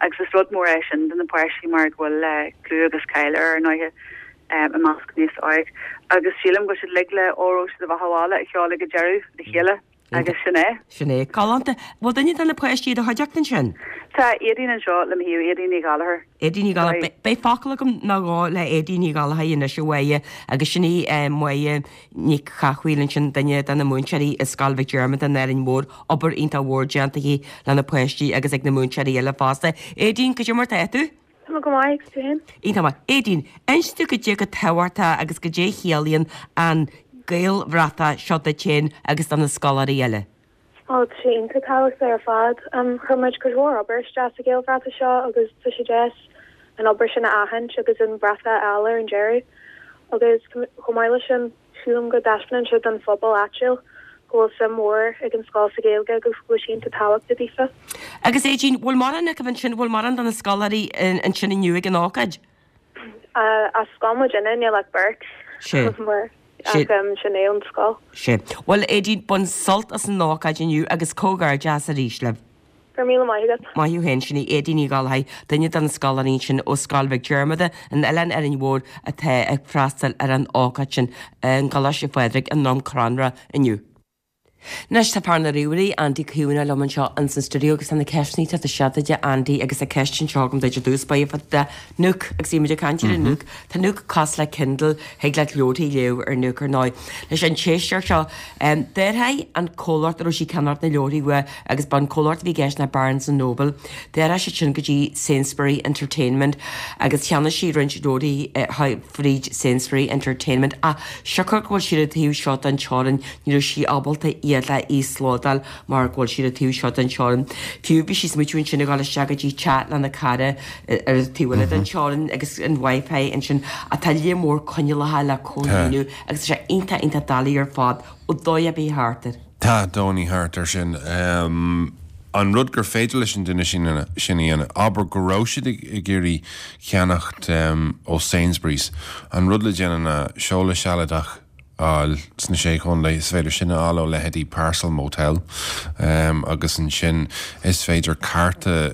agus is rud mór é sin do na páistí mar go bhfuil clú agus cáil air ar ndóighe i measc an aos óig agus sílim go bhfuil siad uilig le Óró Sé do Bheatha 'Bhaile a cheol ag an deireadh le chéile. Agus sin é. Sin é. Galánta. Bhfuil duine de na páistí i do chuideachta ansin? Tá Aedín anseo le mo thaobh, Aedín Ní Ghallchóir. Aedín Ní Ghallchóir. Beidh focal agam nó dhó le Aedín Ní Ghallchóir anois, a Mháire, agus sin í Máire Nic Cathmhaoil ansin, duine de na múinteoirí i Scoil Mhic Diarmada in Árainn Mhór. Obair iontach mhór déanta aici le na páistí agus ag na múinteoirí eile fosta. Aedín, cad é mar tá tú? Tá mé go maith, agus tú féin? Iontach maith. Aedín, inis dúinn cad é chomh tábhachtach agus cad é a chiallaíonn an Gaelbhratach seo duit féin agus do na scoláirí eile. Ó, tá sé iontach tábhachtach ar fad. Chuir muid cuid mhór obair isteach sa Ghaelbhratach seo agus tá sé deas an obair sin a aithint agus an bratach a fháil ar an deireadh. Agus chomh maith leis sin, Sílim go dtaispeánann sé don phobal áitiúil go bhfuil suim mhór ag an scoil sa Ghaeilge agus go bhfuil sé iontach tábhachtach daofa. Agus Aedín, bhfuil mórán acu ansin, bhfuil mórán de na scoláirí ansin inniu ag an ócáid? As scoil muidinne, níl ach beirt. Sé. Ach sin é ón scoil. Sé. Bhuel Aedín, bain sult as an ócáid inniu agus comhghairdeas arís libh. Go raibh míle maith agat. Maith thú féin, sin í Aedín Ní Ghallchóir, duine de na scoláirí ansin ó Scoil Mhic Diarmada in Oileán Árainn Mhór atá ag freastal ar an ócáid sin i gColáiste Phádraig i nDroim Conrach inniu. Anois tá fear na ríomhairí, Andy Caomhánach liom anseo ins an stiúideo agus tá na ceisteanna ag teacht isteach duit a Andy agus tá ceist anseo agam duit i dtús báire fá dtaobh de Nook agus bhí muid ag caint ar an Nook. Tá Nook cosúil le Kindle, thig leat leabharthaí a léamh ar Nook ar ndóigh. Leis an téisteoir seo, d'athraigh an comhlacht a raibh sí ag ceannacht na leabharthaí uaidh agus ba an comhlacht a bhí i gceist ná Barnes and Noble. D'athraigh siad sin go dtí Sainsbury Entertainment agus cheannaigh sí roinnt leabharthaí fríd Sainsbury Entertainment ach siocair go bhfuil siad an taobh seo den teorainn ní raibh sí ábalta iad a íoslódáil mar go bhfuil siad an taobh seo den teorainn. Fiú bhí sí ag smaoitiú ansin ag dul isteach go dtí teach lena cara ar an taobh eile den teorainn agus an Wi-Fi ansin ach tá lear mór coinníollacha le comhlíonadh agus tá sé iontach iontach doiligh ar fad ó dóigh ar bith thart air. Tá dóigh thart air sin. An rud gur féidir leis an duine sin a dhéanamh, abair go raibh siad ag iarraidh ceannacht ó Sainsbury's, an rud le déanamh ná seoladh sealadach a fháil sna Sé Chontae, is féidir sin a fháil ó leithéidí Parcel Motel agus ansin is féidir cárta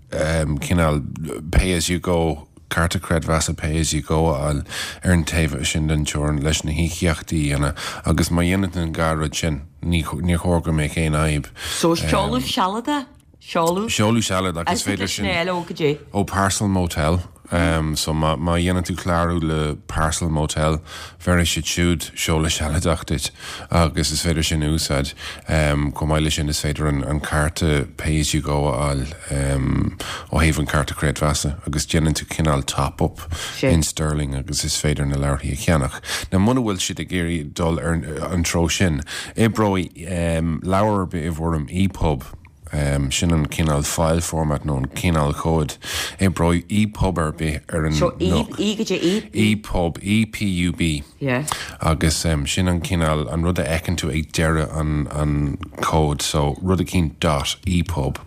cineál pay as you go, cárta creidmheasa pay as you go a fháil ar an taobh sin den teorainn leis na híocaíochtaí a dhéanamh agus má dhéanann tú an dhá rud sin ní níor chóir go mbeadh aon fhadhb. So seoladh sealadach? Seoladh? Seoladh sealadach is féidir sin a fháil ó goidé? Ó Parcel Motel. So má má dhéanann tú clárú le Parcel Motel bhéarfaidh siad siúd seoladh sealadach duit agus is féidir sin a úsáid. Chomh maith leis sin is féidir an cárta pay as you go a fháil ó thaobh an cárta creidmheasa agus déanann tú cineál top up in sterling agus is féidir na leabharthaí a cheannach. Now muna bhfuil siad ag iarraidh dul ar an treo sin, oibreoidh leabhar ar bith i bhfoirm EPUB. Sin an cineál file format nó an cineál comhad. Oibreoidh EPUB ar bith ar an So E, Nook. E goidé E? EPUB, E-P-U-B. Yeah. Agus sin an cineál, an rud a fheiceann tú ag deireadh an, an comhad. So rud eicínt dot EPUB.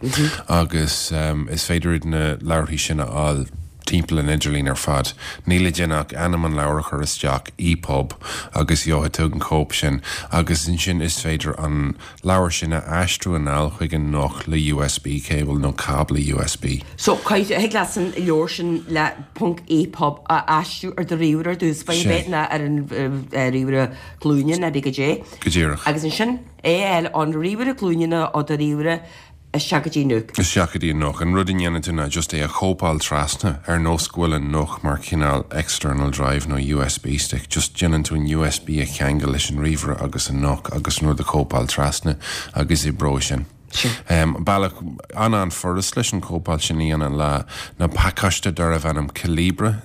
Agus is féidir iad na leabharthaí sin a fháil timpeall an idirlín ar fad. Níl le déanamh ach ainm an leabhair a chur isteach, EPUB, agus gheobhaidh tú an cóip sin. Agus ansin is féidir an leabhar sin a aistriú anall chuig an Nook le USB cable nó cábla USB. So, thig leat an leabhar sin le ponc EPUB a aistriú ar do ríomhaire ar dtús, b'fhéidir Sea. nó ar an ríomhaire glúine nó pé goidé. Go díreach. Agus ansin é a fháil ón ríomhaire glúine nó ó do ríomhaire Isteach go dtí Nook. Isteach go dtí an Nook. An rud a ndéanann tú ná just é a chóipeáil trasna, ar nós go bhfuil an Nook mar chineál external drive nó USB stick. Just déanann tú an USB a cheangal leis an ríomhaire agus an Nook agus an rud a chóipeáil trasna agus oibreoidh sin. Bealach an-an-fhurast leis an chóipeáil sin a dhéanamh le ná pacáiste darbh ainm Calibre,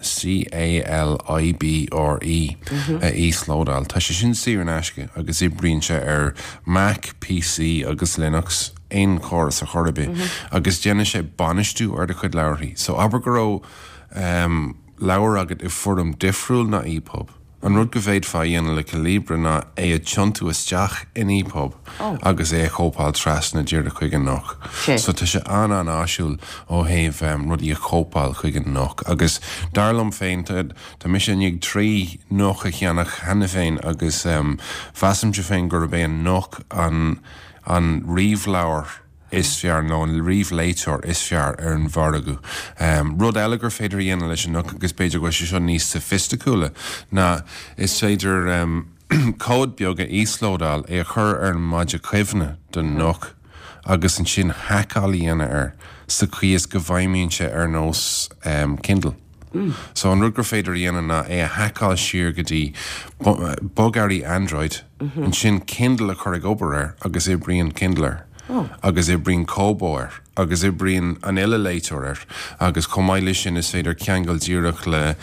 C-A-L-I-B-R-E, a íoslódáil. Tá sé sin saor in aisce agus oibríonn sé ar Mac, PC agus Linux, aon chóras ar chor ar bith, agus déanann sé bainistiú ar do chuid leabharthaí. So abair go raibh leabhar agat i bhfoirm difriúil ná EPUB. An rud go bhféadfá a dhéanamh le Calibre ná é a tiontú isteach in EPUB agus é a chóipeáil trasna díreach chuig an Nook. So tá sé an-an-áisiúil ó thaobh rudaí a chóipeáil chuig an Nook. Agus dar liom féin, Tá mise i ndiaidh 3 Nook a cheannach cheana féin agus mheasaimse féin gurb é an Nook an an ríomhleabhar is fearr nó an ríomhléiteoir is fearr ar an mhargadh. Rud eile gur féidir a dhéanamh leis an Nook agus b'fhéidir go bhfuil sé seo níos soifisticiúla ná is féidir comhad beag a íoslódáil, é a chur ar an maide cuimhne don Nook agus ansin haiceáil a dhéanamh air sa chaoi is go bhfeidhmíonn sé ar nós Kindle. So an rud gur féidir a dhéanamh ná é a haiceáil siar go dtí bogearraí Android, ansin Kindle a chur ag obair air agus oibríonn Kindle air. Agus oibríonn Kobo air. Agus oibríonn an uile léiteoir air. Agus chomh maith leis sin is féidir ceangal díreach le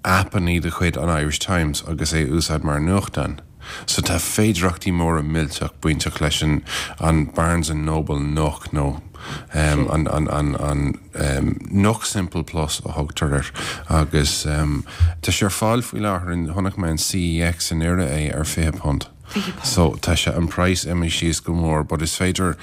aipeanna de chuid an Irish Times agus é a úsáid mar nuachtán. So tá féidireachtaí móra millteach bainteach leis an an Barnes and Noble Nook nó an an an an Nook Simple Plus a thugtar air agus tá sé ar fáil faoi láthair in chonaic mé in CEX i nDoire é ar £20. So tá sé an praghas imithe síos go mór but is féidir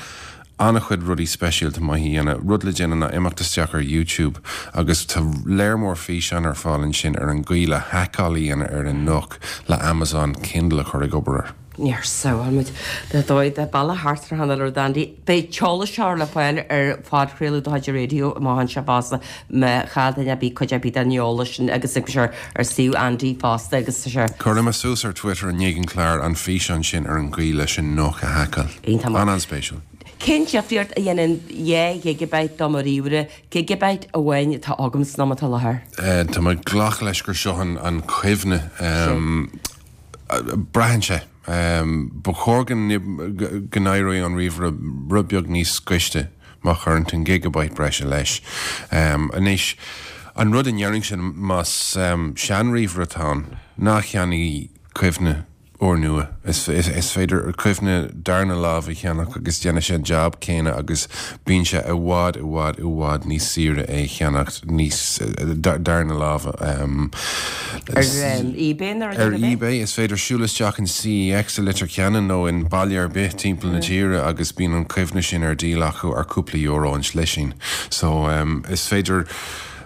an-chuid rudaí speisialta maith a dhéanamh. Rud le déanamh ná imeacht isteach ar YouTube agus tá léar mór físeán ar fáil ansin ar an gcaoi le haiceáil a dhéanamh ar an Nook le Amazon Kindle a chur ag obair air. Níor shamhail muid de dóigh de bealach thart ar chan uile rud Andy. Beidh an t-eolas seo le fáil ar phodchraoladh de chuid an raidió amach anseo fosta má chaill duine ar bith cuid ar bith den eolas sin agus tá sé ar suíomh Andy fosta agus tá sé. Cuirfidh mé suas ar Twitter i ndiaidh an chláir an físeán sin ar an gcaoi leis an NUC a haiceáil. Iontach maith. An-an-spéisiúil. Cén difríocht a dhéanann 2 ghigeabyte do mo ríomhaire, gigeabyte amháin atá agam san am atá i láthair? Tá mé ag glacadh leis gur seo an chuimhne. Braitheann sé. Ba chóir go n-éireoidh an ríomhaire rud beag níos gaiste má chuireann tú an gigeabyte breise leis. Anois, an rud a ndéarfainnse más seanríomhaire atá ann, ná ceannaigh cuimhne úrnua. Is féidir cuimhne darna lámh a cheannach agus déanfaidh sé an jab céanna agus bíonn sé i bhfad, i bhfad, i bhfad níos saoire é a cheannacht níos darna lámha. Ar eBay nó Ar eBay, is féidir siúl isteach in CEX i Leitir Ceanainn nó in baile ar bith timpeall na tíre agus bíonn an chuimhne sin ar díol acu ar cúpla euro an slisín. So, is féidir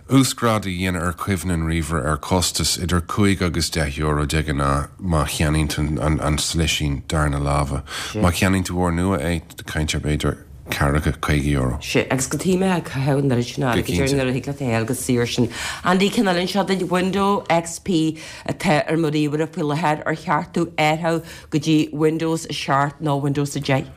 uasghrádú a dhéanamh ar chuimhne an ríomhaire ar chostas idir 5 agus 10 euro de ghnáth má cheannaíonn tú an slisín darna láimhe. Má cheannaíonn tú úrnua é, caint ar b'fhéidir ceathracha, €50. Sea, agus cad chuige a mbeifeá ag caitheamh an oiread sin airgid air nuair a thig leat é a fháil go saor sin. Andy, ceann eile anseo duit, Window XP atá ar mo ríomhaire faoi láthair, ar cheart domh athrú go dtí Windows 7 nó Windows 10?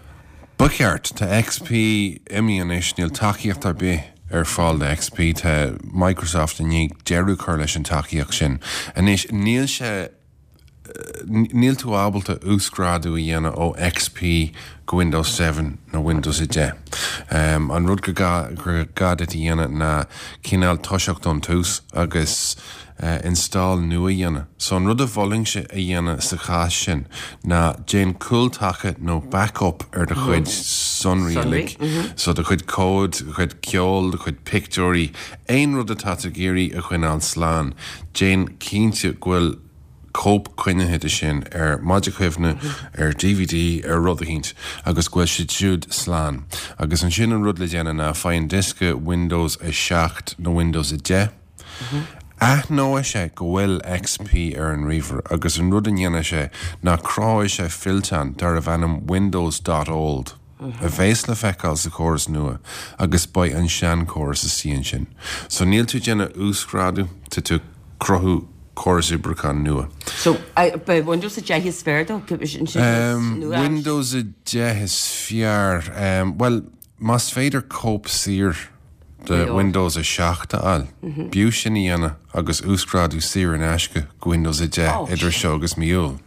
Ba cheart. Tá XP imithe anois, níl tacaíocht ar bith ar fáil do XP. Tá Microsoft i ndiaidh deireadh a chur leis an tacaíocht sin. Anois, níl sé, níl tú ábalta uasghrádú a dhéanamh ó XP go Windows 7 nó Windows 10. An rud gur gá, gur gá duit a dhéanamh ná cineál toiseacht ón tús agus install nua a dhéanamh. So an rud a mholfainnse a dhéanamh sa chás sin ná déan cúltaca nó backup ar do chuid sonraí uilig. So do chuid comhad, do chuid ceoil, do chuid pictiúirí, aon rud atá tú ag iarraidh a choinneáil slán, déan cinnte go bhfuil cóip coinnithe de sin ar mhaide cuimhne, ar DVD, ar rud eicínt agus go bhfuil siad siúd slán. Agus ansin an rud le déanamh ná faigh an diosca Windows 7 nó Windows 10, Aithneoidh sé go bhfuil XP ar an ríomhaire agus an rud a ndéanfaidh sé ná cruthóidh sé fillteán darbh ainm Windows dot old a bheas le feiceáil sa chóras nua agus beidh an seanchóras istigh ansin. So níl tú ag déanamh uasghrádú, tá tú ag cruthú córas oibriúcháin nua. So beidh Windows 10 is fearr dó? Windows 10 is fearr? Bhuel, Más féidir cóip saor de Windows 7 a fháil, b'fhiú sin a dhéanamh agus uasghrádú saor in aisce go Windows 10 idir seo agus mí Iúil,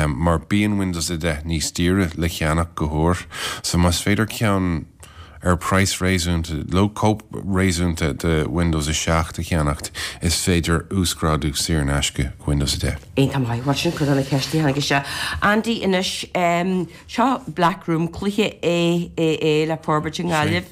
mar bíonn Windows 10 níos daoire le ceannach go húr. So más féidir ceann ar praghas réasúnta, nó cóip réasúnta de Windows 7 a cheannacht, is féidir uasghrádú saor in aisce go Windows 10. Iontach maith. Bhuel, sin cuid de na ceisteanna a tháinig isteach. Andy, anois, Seo Black Room, cluiche AAA le forbairt i nGaillimh,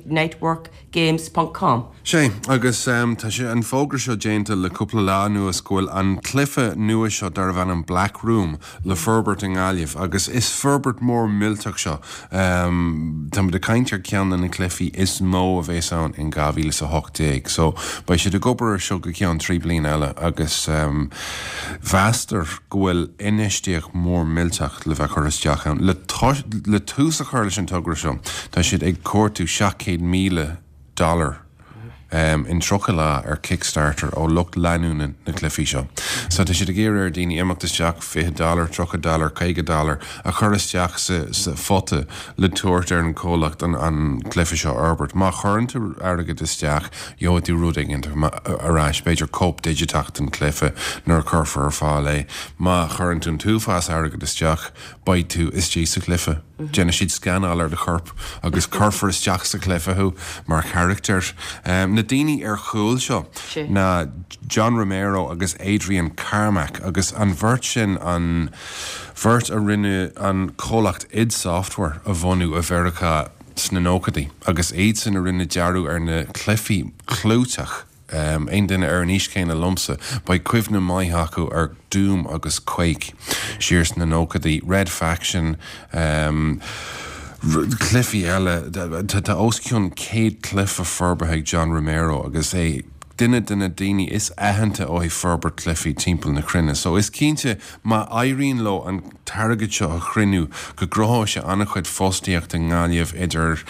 nightworkgames ponc com. Sea, agus tá sé, an fógra seo déanta le cúpla lá anuas go bhfuil an cluiche nua seo darbh ainm Black Room le forbairt i nGaillimh agus is forbairt mór millteach seo. Táimid ag caint ar ceann de na cluichí is mó a bheas ann in 2018. So, beidh siad ag obair ar seo go ceann 3 bliana eile agus mheastar go bhfuil infheistíocht mhór millteach le bheith curtha isteach ann. Le le tús a chur leis an togra seo, tá siad ag cuartú 700,000 dollar in 30 lá ar Kickstarter ó lucht leanúna na cluichí seo. So tá siad ag iarraidh ar daoine imeacht isteach 20 dollar, 30 dollar, 50 dollar a chur isteach sa sa phota le tabhairt ar an chomhlacht an an cluiche seo a fhorbairt. Má chuireann tú airgead isteach, gheobhaidh tú rud éigin ar ais, b'fhéidir cóip digiteach den chluiche nuair a chuirfear ar fáil é. Má chuireann tú an t-uafás airgid isteach, beidh tú istigh sa chluiche. Déanfaidh siad scanáil ar do chorp agus cuirfear isteach sa chluiche thú mar charachtar. Na daoine ar chúl seo ná John Romero agus Adrian Carmack agus an bheirt sin an bheirt a rinne an comhlacht id Software a bhunú i Mheiriceá sna nóchaidí agus iadsan a rinne dearadh ar na cluichí clúiteach. Aon duine ar an aois chéanna liomsa, beidh cuimhne maith acu ar Doom agus Quake siar sna nóchaidí, Red Faction, cluichí eile. Tá os cionn 100 cluiche forbartha ag John Romero agus é. duine de na daoine is aitheanta ó thaobh forbairt cluichí timpeall na cruinne. So is cinnte má éiríonn leo an t-airgead seo a chruinniú go gcruthóidh sé an-chuid fostaíocht i nGaillimh idir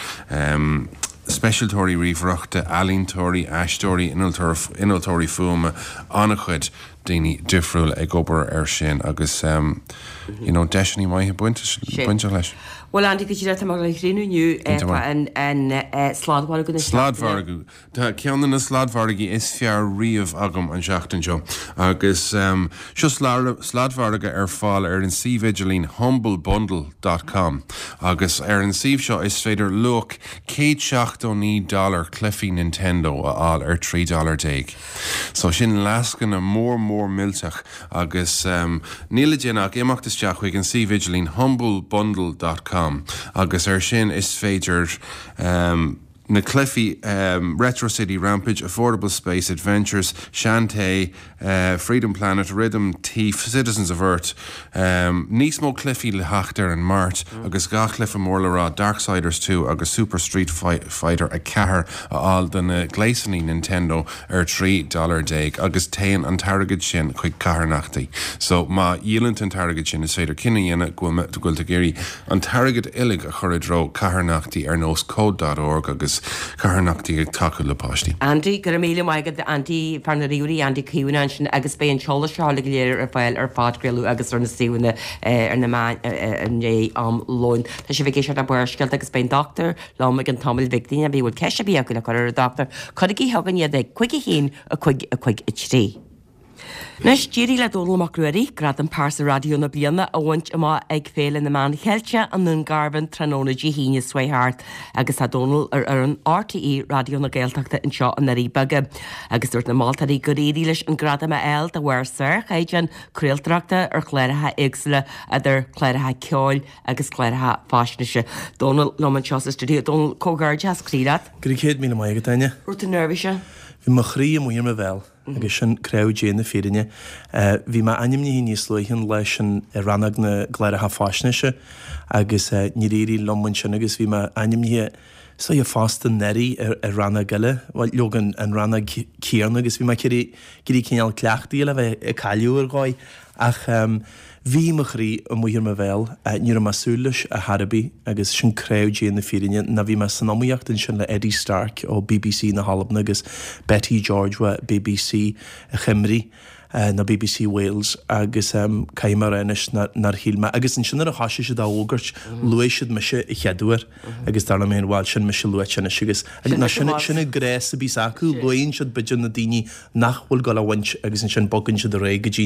speisialtóirí ríomhaireachta, ealaíontóirí, aisteoirí, innealtóirí fuaime, an-chuid daoine difriúla ag obair air sin agus you know deiseanna maithe bainteach leis. Bhuel Andy, go díreach tá mé ag críochnú inniu an sladmhargadh na seachtaine. Sladmhargadh. Tá ceann de na sladmhargaí is fearr riamh agam an seachtain seo agus seo sladmhargadh ar fáil ar an suíomh idirlín humblebundle dot com agus ar an suíomh seo is féidir luach 179 dollar cluichí Nintendo a fháil ar 13 dollar. So sin lascaine mór mór millteach agus níl le déanamh ach imeacht isteach chuig an suíomh idirlín humblebundle dot com agus ar sin is féidir Na cluichí Retro City Rampage, Affordable Space Adventures, Shantae, Freedom Planet, Rhythm Thief, Citizens of Earth, níos mó cluichí le theacht ar an Máirt agus dhá chluiche mór le rá, Darksiders 2 agus Super Street Fighter 4 a fháil do na gléasanna Nintendo ar 13 dollar agus téann an t-airgead sin chuig carthanachtaí. So má dhíolann tú an t-airgead sin is féidir cinneadh a dhéanamh go bhfuil tú ag iarraidh an t-airgead uilig a chur i dtreo carthanachtaí ar nós Code dot org agus carthanachtaí ag tacú le páistí. Andy, Go raibh míle maith agat Andy, fear na ríomhairí Andy Caomhánach ansin agus beidh an t-eolas seo uilig go léir ar fáil ar phodchraoladh agus ar na suíomhanna ar na meáin i ndiaidh am lóin. Tá sibh ag éisteacht le Barrscéalta agus beidh an dochtúir liom i gceann tamaill bhig daoine a bhfuil ceist ar bith acu le cur ar an dochtúir, cuirigí chugainn iad ag 5 1 5 5 3. Anois, d'éirigh le Dónall Mac Ruairí gradam Pearsa Raidió na Bliana a bhaint amach ag Féile na Meán Cheilteach i nDún Garbhán tráthnóna Dé hAoine seo chuaigh thart agus tá Dónall ar fhoireann RTÉ Raidió na Gaeltachta anseo i nDoirí Beaga agus dúirt na moltóirí gur éirigh leis an gradam a fháil de bharr sárchaighdeán craoltóireachta ar chláracha éagsúla idir chláracha ceoil agus cláracha faisnéise. Dónall liom anseo sa stiúideo. Dónall, comhghairdeas croí leat. Go raibh 100,000 maith agat, Áine. Raibh tú neirbhíseach? Bhí mo chroí amuigh ar mo bhéal. Agus sin craobh Dé na fírinne. Bhí mé ainmnithe níos luaithe an lá sin i rannóg na gcláracha faisnéise agus níor éirigh liom ansin agus bhí mé ainmnithe is dóiche fosta anuraidh i rannóg eile, bhuel leoga an rannóg céanna agus bhí mé ag iarraidh cineál cleachtaithe le bheith ag cailleadh ar dhóigh. Ach bhí mo chroí amuigh ar mo bhéal, ní raibh mé ag súil leis ar chor ar bith agus sin craobh Dé na fírinne ná bhí mé san iomaíocht ansin le Eddie Stark ó bbc na hAlban agus Beti George ó bbc Chymru nó bbc Wales agus caithfidh mé a rá anois nár shíl mé agus ansin nuair a thoisigh siad á fhógairt luaigh siad mise a chéad uair agus dar liom féin bhuel sin mise luaite anois agus nó sin sin an gnás a bhíos acu luann siad b'fhéidir na daoine nach bhfuil ag dul a bhaint agus ansin bogann siad ar aghaidh go dtí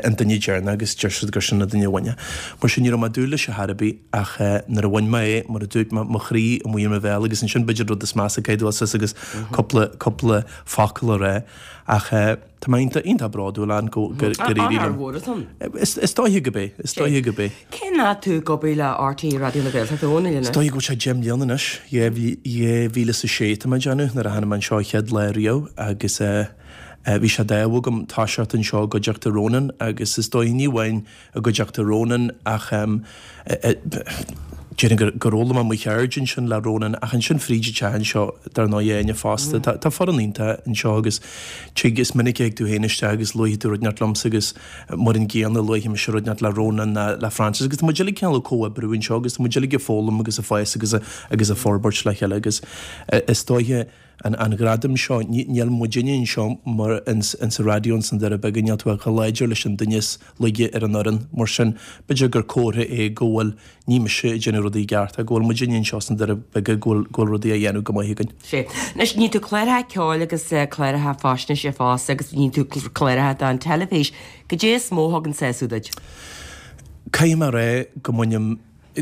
an duine deireanach agus deir siad gur sin an duine a bhain é. Mar sin ní raibh mé ag dúil leis ar chor ar bith ach nuair a bhain mé é, mar a dúirt mé, mo chroí amuigh ar mo bhéal agus ansin b'fhéidir rud is measa caithfidh tú dul suas agus cúpla, cúpla focal a rá ach tá mé iontach, iontach bródúil ann go, gur éirigh liom. Onóir mhór atá ann. Is dóiche go b'é, is dóiche go b'é. Cén fhad tú ag obair le RTÉ Raidió na Gaeltachta a Dhónaill anois? Is dóigh go bhfuil sé 10 mbliana anois, 2006 tá mé ag déanamh, nuair a tháinig mé anseo an chéad lá riamh agus bhí sé d'ádh agam toiseacht anseo i gcuideachta Ronan agus is dóigh ní amháin i gcuideachta Ronan ach déarfainn gur gur fhoghlaim mé mo cheird ansin le Ronan ach ansin fríd an teach anseo dar ndóigh Áine fosta. Tá foireann iontach anseo agus tig is minic a thig tú féin isteach agus luafaidh tú rud inteacht liomsa agus Mar an gcéanna, luafaidh mise rud inteacht le Ronan ná le Francis agus tá muid uilig cineál ag comhoibriú anseo agus tá muid uilig ag foghlaim agus ag fás agus agus ag forbairt le chéile agus is dóiche an an gradam seo, níl muidinne anseo mar ins ins an raidió ins na Doirí Beaga, níl tú ach chomh láidir leis an duine is laige ar an fhoireann. Mar sin, b'fhéidir gur comhartha é go bhfuil ní mise ag déanamh rudaí i gceart ach go bhfuil muidinne anseo sna Doirí Beaga go bhfuil go bhfuil rudaí á dhéanamh go maith againn. Sea. Anois, níonn tú cláracha ceoil agus cláracha faisnéise fosta agus níonn tú cláracha don teilifís. Goidé is mó a thugann sásamh duit? Caithfidh mé a rá go mbainim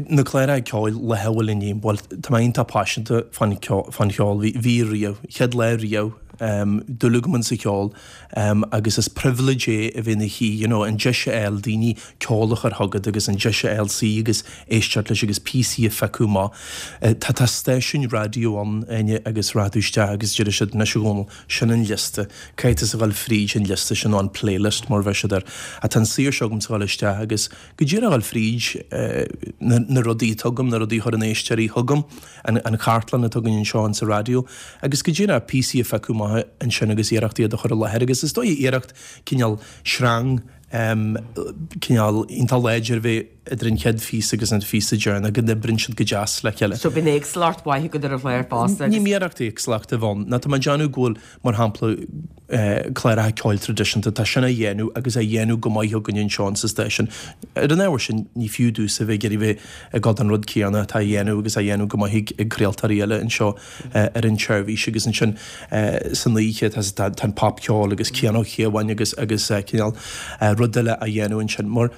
na cláracha ceoil le hamhail inniu, bhuel, tá mé iontach paiseanta fán cheol, bhí riamh, chéad lá riamh, dúil agam insa cheol agus is privilege é a bheith ina shuí, you know, an deis a fháil daoine ceol a chur chugat agus an deis a fháil suí agus éisteacht leis agus píosaí a phiocadh amach. Tá tá stáisiúin raidió ann, Áine, agus rachaidh tú isteach agus déarfaidh siad, anois a Dhónaill, sin an liosta, caithfidh tusa dhul fríd an liosta sin nó an playlist mar a bheadh siad air. Ach tá an saoirse agamsa dhul isteach agus go díreach dhul fríd na rudaí atá agam, na rudaí a chuireann éisteoirí chugam, an chartlann atá againn anseo insa raidió agus go díreach píosaí a phiocadh amach. isteach ansin agus iarracht iad a chur i láthair agus is dóigh iarracht cineál sreang cineál iontach láidir a bheith idir an chéad phíosa agus an phíosa deireanach, go n-oibríonn siad go deas le chéile. So bíonn éagsúlacht mhaith agat ar an chlár fosta agus. Ní iarracht éagsúlacht a bheith ann. Ná tá mé ag déanamh go bhfuil, mar shampla, cláracha ceoil traidisiúnta, tá sin á dhéanamh agus á dhéanamh go maith againn anseo insa stáisiún. Ar an ábhar sin, ní fiú domhsa bheith ag iarraidh bheith ag dul don rud céanna atá á dhéanamh agus á dhéanamh go maith ag craoltóirí eile anseo ar an tseirbhís agus ansin san oíche tá an popcheol agus Cian Ó Cíobháin agus agus cineál rud eile á dhéanamh ansin. Mar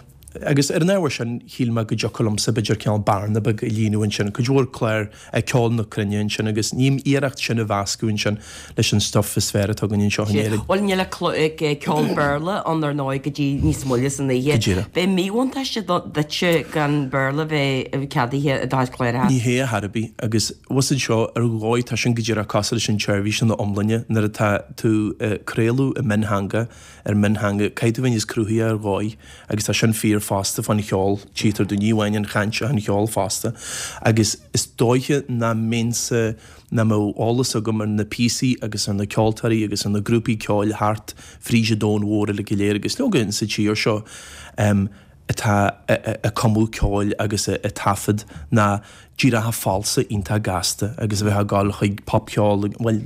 Agus ar an ábhar sin, shíl mé go dtiocfadh liomsa, b'fhéidir, cineál bearna beag a líonadh ansin, cuid mhór clár ceol na cruinne ansin agus ní iarracht sin a mheascadh ansin leis an stuif is fearr atá againn anseo in Éirinn. Bhuel, níl ach ceol Béarla ann ar ndóigh go dtí níos moille san oíche. Go díreach. B'é míbhuntáiste duitse gan Béarla bheith ceadaithe i do chuid cláracha. Ní hea ar chor ar bith agus bhfuil a fhios agat seo ar dhóigh tá sin go díreach cosúil leis an tseirbhís ina iomláine nuair atá tú ag craoladh i miontheanga ar mhiontheanga, caithfidh tú bheith níos cruthaithe ar dhóigh agus tá sin fíor fosta fán cheol, tchítear domh, ní amháin an chaint ach an cheol fosta. Agus is dóiche nach mbeinnse, nach mbeadh eolas agam ar na píosaí agus ar na ceoltóirí agus ar na grúpaí ceoil thart fríd an domhan mhór uilig go léir agus leoga insa tír seo atá ag cumadh ceoil agus ag taifead ná díreach falsa iontach gasta agus a bheith ag gabháil chuig popcheol, bhuel,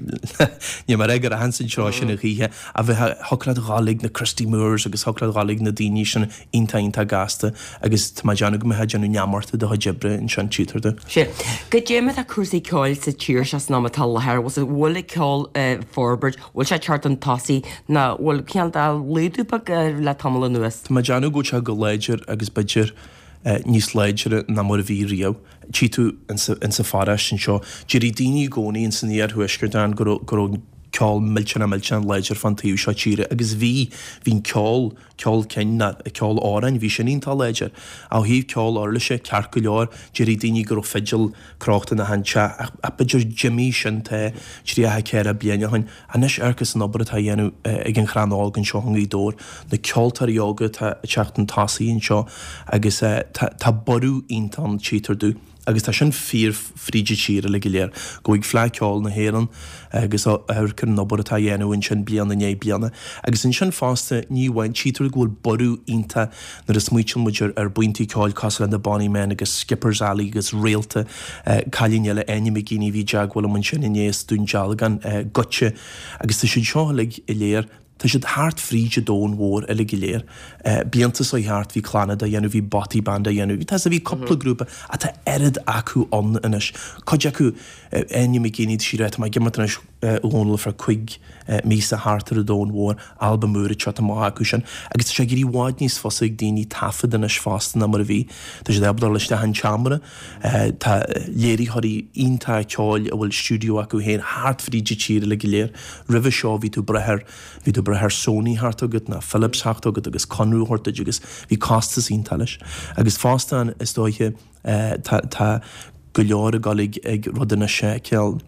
níl mé ag rá go rachainn sa treo sin a choíche, a bheith, thiocfadh leat dhul ag na Christy Moores agus thiocfadh leat dhul ag na daoine sin iontach iontach gasta agus tá mé ag déanamh go mbeifeá ag déanamh neamart de do chuid oibre ansin, tchítear domh. Sea. Goidé mar atá cúrsaí ceoil sa tír seo san am atá i láthair, bhfuil an ceol ag forbairt, bhfuil sé ag teacht chun tosaigh nó bhfuil cineál de laghdú beag le tamall anuas? Tá mé ag déanamh go bhfuil sé go láidir agus b'fhéidir níos láidre ná mar a bhí riamh. Tchí tú insa pharóiste anseo, déarfaidh daoine i gcónaí ins an iarthuaisceart ann go raibh go raibh ceol millteanach millteanach láidir fán taobh seo tíre agus bhí, bhí an ceol, ceol cinn ná ceol amhráin, bhí sin iontach láidir. Ó thaobh ceol uirlise, ceart go leor, déarfaidh daoine go raibh fidil crochta in achan teach ach b'fhéidir d'imigh sin tá 34 bliain ó shin. Anois amharc ins an obair atá á dhéanamh ag an Chrann Óg anseo i nGaoth Dobhair, na ceoltóirí óga atá ag teacht chun tosaigh anseo agus tá borradh iontach ann, tchítear domh, agus tá sin fíor fríd an tír uilig go léir. Gabh chuig Fleadh Ceoil na hÉireann agus amharc ar an obair atá á dhéanamh ansin bliain i ndiaidh bliana. Agus ansin fosta, ní amháin, tchítear go bhfuil borradh iontach nuair a smaoitíonn muid ar buíontaí ceoil cosúil le na Bonny Men agus Skipper's Alley agus Réalta, cailín eile, Áine McGeeney, a bhí i dteagmháil liom ansin inné as Dún Dealgan, Goitse, agus tá siad seo uilig go léir, tá siad thart fríd an domhan mhór uilig go léir. Blianta seo thart bhí Clannad á dhéanamh, bhí Bothy Band á dhéanamh, tá bhí cúpla grúpa ach tá oiread acu ann anois. Cuid acu, Áine McGeeney, tá sí ag rá, tá mé ag imeacht anois, a Dhónaill ar feadh cuig míosa thart ar an domhan mhór, albam úr ag teacht amach acu sin. Agus tá sé ag éirí i bhfad níos fusa ag daoine taifead anois fosta ná mar a bhí. Tá siad ábalta dul isteach in seomra, tá léiritheoirí iontacha ceoil a bhfuil stiúideo acu féin thart fríd an tír uilig go léir. Roimhe seo bhí tú ag brath ar, bhí tú ag brath ar Sony theacht chugat ná Philips theacht chugat agus conradh a thabhairt duit agus bhí costas iontach leis. Agus fosta is dóiche tá, tá go leor ag dul ag, ag rud anois, cineál,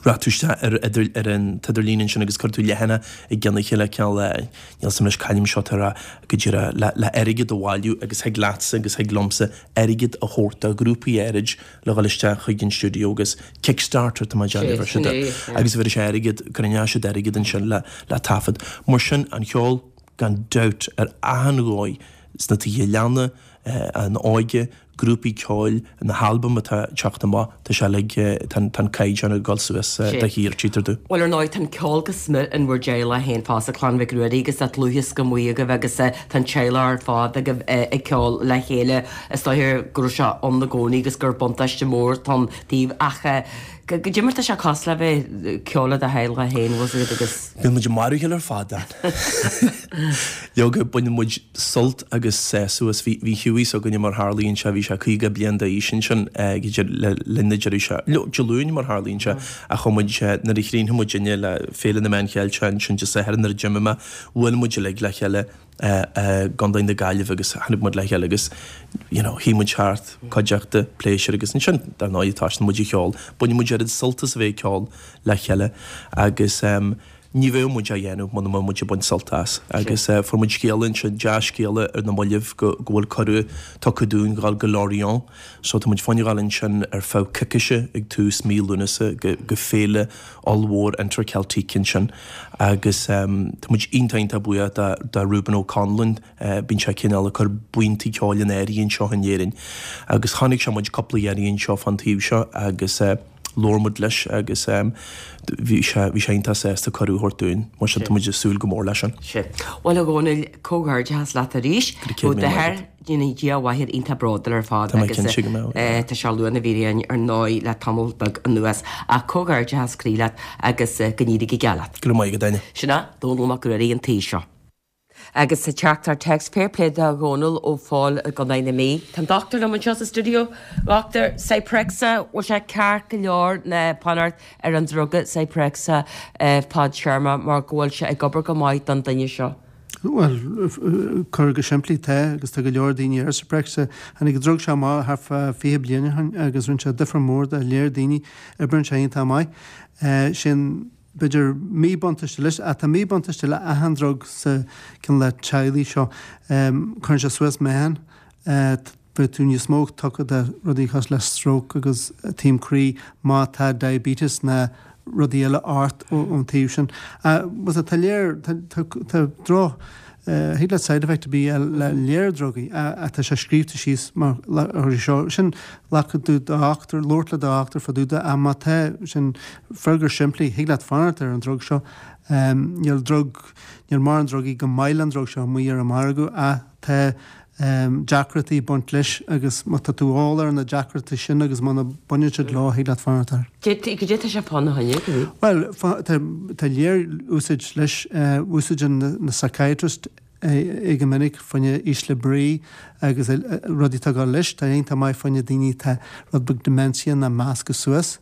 Rachaidh tú isteach ar idir ar an t-idirlíon ansin agus cuirfidh tú leathanach i gcionn a chéile cineál níl a fhios agam anois c'ainm seo atá a rá go díreach le le airgead a bhailiú agus thig leatsa agus thig liomsa airgead a thabhairt do ghrúpaí áirid le dhul isteach chuig an stiúideo agus Kickstarter tá mé ag déanamh ar siad agus bheir sé airgead cruinneoidh siad airgead ansin le le taifead. Mar sin an cheol gan dabht ar achan dhóigh sna tithe leanna, an óige, grúpaí ceoil, na halbaim atá ag teacht amach, tá sé uilig, tá an caighdeán ag dul suas de shíor, tchítear domh. Bhuel, ar ndóigh, tá an ceol go smior in bhur dteaghlach féin fosta, Clann Mhic Ruairí, agus tá dlúthdhiosca maith agaibh agus tá an teaghlach ar fad agaibh ag ceol le chéile. Is dóiche go raibh sé ann i gcónaí agus gur buntáiste mór atá ann daoibh ach goidé mar tá sé cosúil le bheith ag ceol le do theaghlach féin, bhfuil 's agat, agus. Bíonn muid ag marú a chéile ar fad, Dan. Leoga, baineann muid sult agus sásamh as. Bhí Hughie s'againne mar tharlaíonn sé, bhí sé 50 bliain d'aois ansin le linn na deireadh sé, Dé Luain mar tharlaíonn sé, ach chuaigh muid, nuair a chríochnaigh muidinne le Féile na Meán Cheilteach ansin Dé Sathairn nuair a d'imigh mé, bhuail muid uilig le chéile i gContae na Gaillimhe agus tháinig muid le chéile agus you know shuigh muid thart, cuideachta, pléisiúr agus ansin dar ndóigh thosaigh muid ag ceol. Baineann muid oiread sult as a bheith ag ceol le chéile agus. Ní bheadh muid á dhéanamh muna mbeadh muid ag baint sult as. Agus fuair muid scéala ansin, dea-scéala ar na mallaibh go bhfuil cuireadh tugtha dúinn dhul go Lorient. So tá muid fá choinne dhul ansin ar feadh coicíse ag tús mí Lúnasa go go féile ollmhór Interceltique ansin. Agus tá muid iontach iontach buíoch do do Reuben O'Connellan, bíonn sé cineál ag cur buíontaí ceoil in áirithe anseo in Éirinn. Agus chonaic sé muid cúpla iarraidh anseo fán taobh seo agus labhair muid leis agus bhí sé bhí sé iontach sásta cuireadh a thabhairt dúinn. Mar sin tá muid ag súil go mór leis sin. Sin. Bhuel a Dhónaill, comhghairdeachas leat arís. Go raibh céad míle maith agat. Déanfaidh Dia a mháthair iontach bródúil ar fad Tá mé agus cinnte go mbeadh. tá sé ag lua na bhfíréan ar ndóigh le tamall beag anuas. Ach comhghairdeachas croí leat agus go n-éirí go geal leat. Go raibh maith agat, Áine. Sin é Dónall Mac Ruairí an taobh seo. Agus sa teachtaireacht téacs, fair play do Dhónall Ó Phóil i gContae na Mí. Tá an dochtúir liom anseo sa stiúideo. Dochtúir, Zyprexa, bhfuil sé ceart go leor ná fanacht ar an druga Zyprexa fadtéarma mar go bhfuil sé ag obair go maith don duine seo? Bhuel, curtha go simplí, tá, agus tá go leor daoine ar Zyprexa. Tháinig an drug seo amach thart fá 20 bliain ó shin agus rinne sé difear mór do léir daoine. Oibríonn sé iontach maith. Sin, b'fhéidir, míbhuntáiste leis, ach tá míbhuntáiste le achan drug sa cineál le teaghlaigh seo. Cuireann sé suas meáchan. Beidh tú níos mó tugtha do rudaí cosúil le stróc agus taom croí má tá diabetes ná rudaí eile ort ón taobh sin. Bhuel tá léir, tá droch, thig leat side effect a bith le léir drugaí ach tá sé scríobhta síos mar seo. Sin glacadh do dhochtúir, labhairt le do dhochtúir fá dtaobh de ach má tá sin freagra simplí, thig leat fanacht ar an drug seo. Níl drug, níl mórán drugaí chomh maith le an drug seo amuigh ar an margadh ach tá deacrachtaí ag baint leis agus má tá tú eolach ar na deacrachtaí sin agus muna baineann siad leo, thig leat fanacht air. Goidé tá sé fána choinne, go dtí? Bhuel, tá léir úsáid leis, úsáideann na psychiatrists é go minic fá choinne ísle brí agus rudaí atá ag dul leis. Tá iontach maith fá choinne daoine atá rud beag dementia ná measctha suas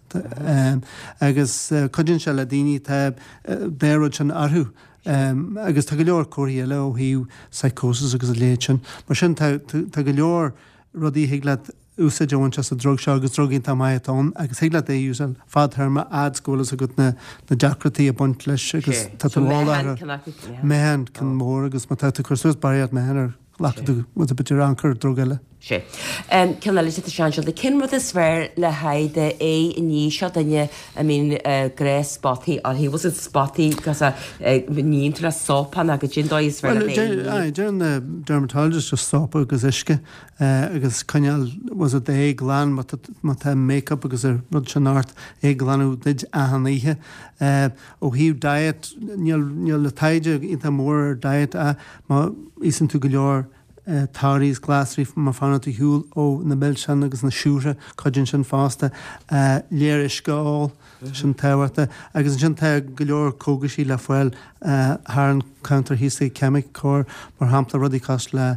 agus cuidíonn sé le daoine atá dá rud sin orthu. Agus tá go leor comharthaí eile ó thaobh psychosis agus a leithéid sin. Mar sin tá tá go leor rudaí a thig leat úsáid a bhaint as an drug seo agus drug iontach maith atá ann agus thig leat é a úsáid fadtéarma fhad is go bhfuil fhios agat na na deacrachtaí ag baint leis agus tá tú eolach ar meáchan ceann mór agus má tá tú ag cur suas barraíocht meáchain air glacfaidh tú with b'fhéidir an-chuid drug eile. Sea. Ceann eile de tá sé anseo, cén rud is fearr le haghaidh do aghaidh a ní seo duine a mbíonn gnáth-spotaí uirthi, bhfuil siad spotaí cos a níonn tú le sópa nó goidé an dóigh is fearr le haghaidh a ní? Bhuel, deireann na dermatologists just sópa agus uisce agus coinneáil was it d'aghaidh glan má tá má tá make-up agus an rud sin ort é a ghlanadh duit achan oíche. Ó thaobh diet níl níl na taighde iontach mór ar diet ach má íosann tú go leor torthaí is glasraí má fanann tú ar shiúl ó na milseáin agus na siúcra, cuidíonn sin fosta. Léir uisce a ól, tá sin tábhachtach. Agus ansin tá go leor cógaisí le fáil thar an counter thíos ag ceimiceoir, mar shampla rudaí cosúil le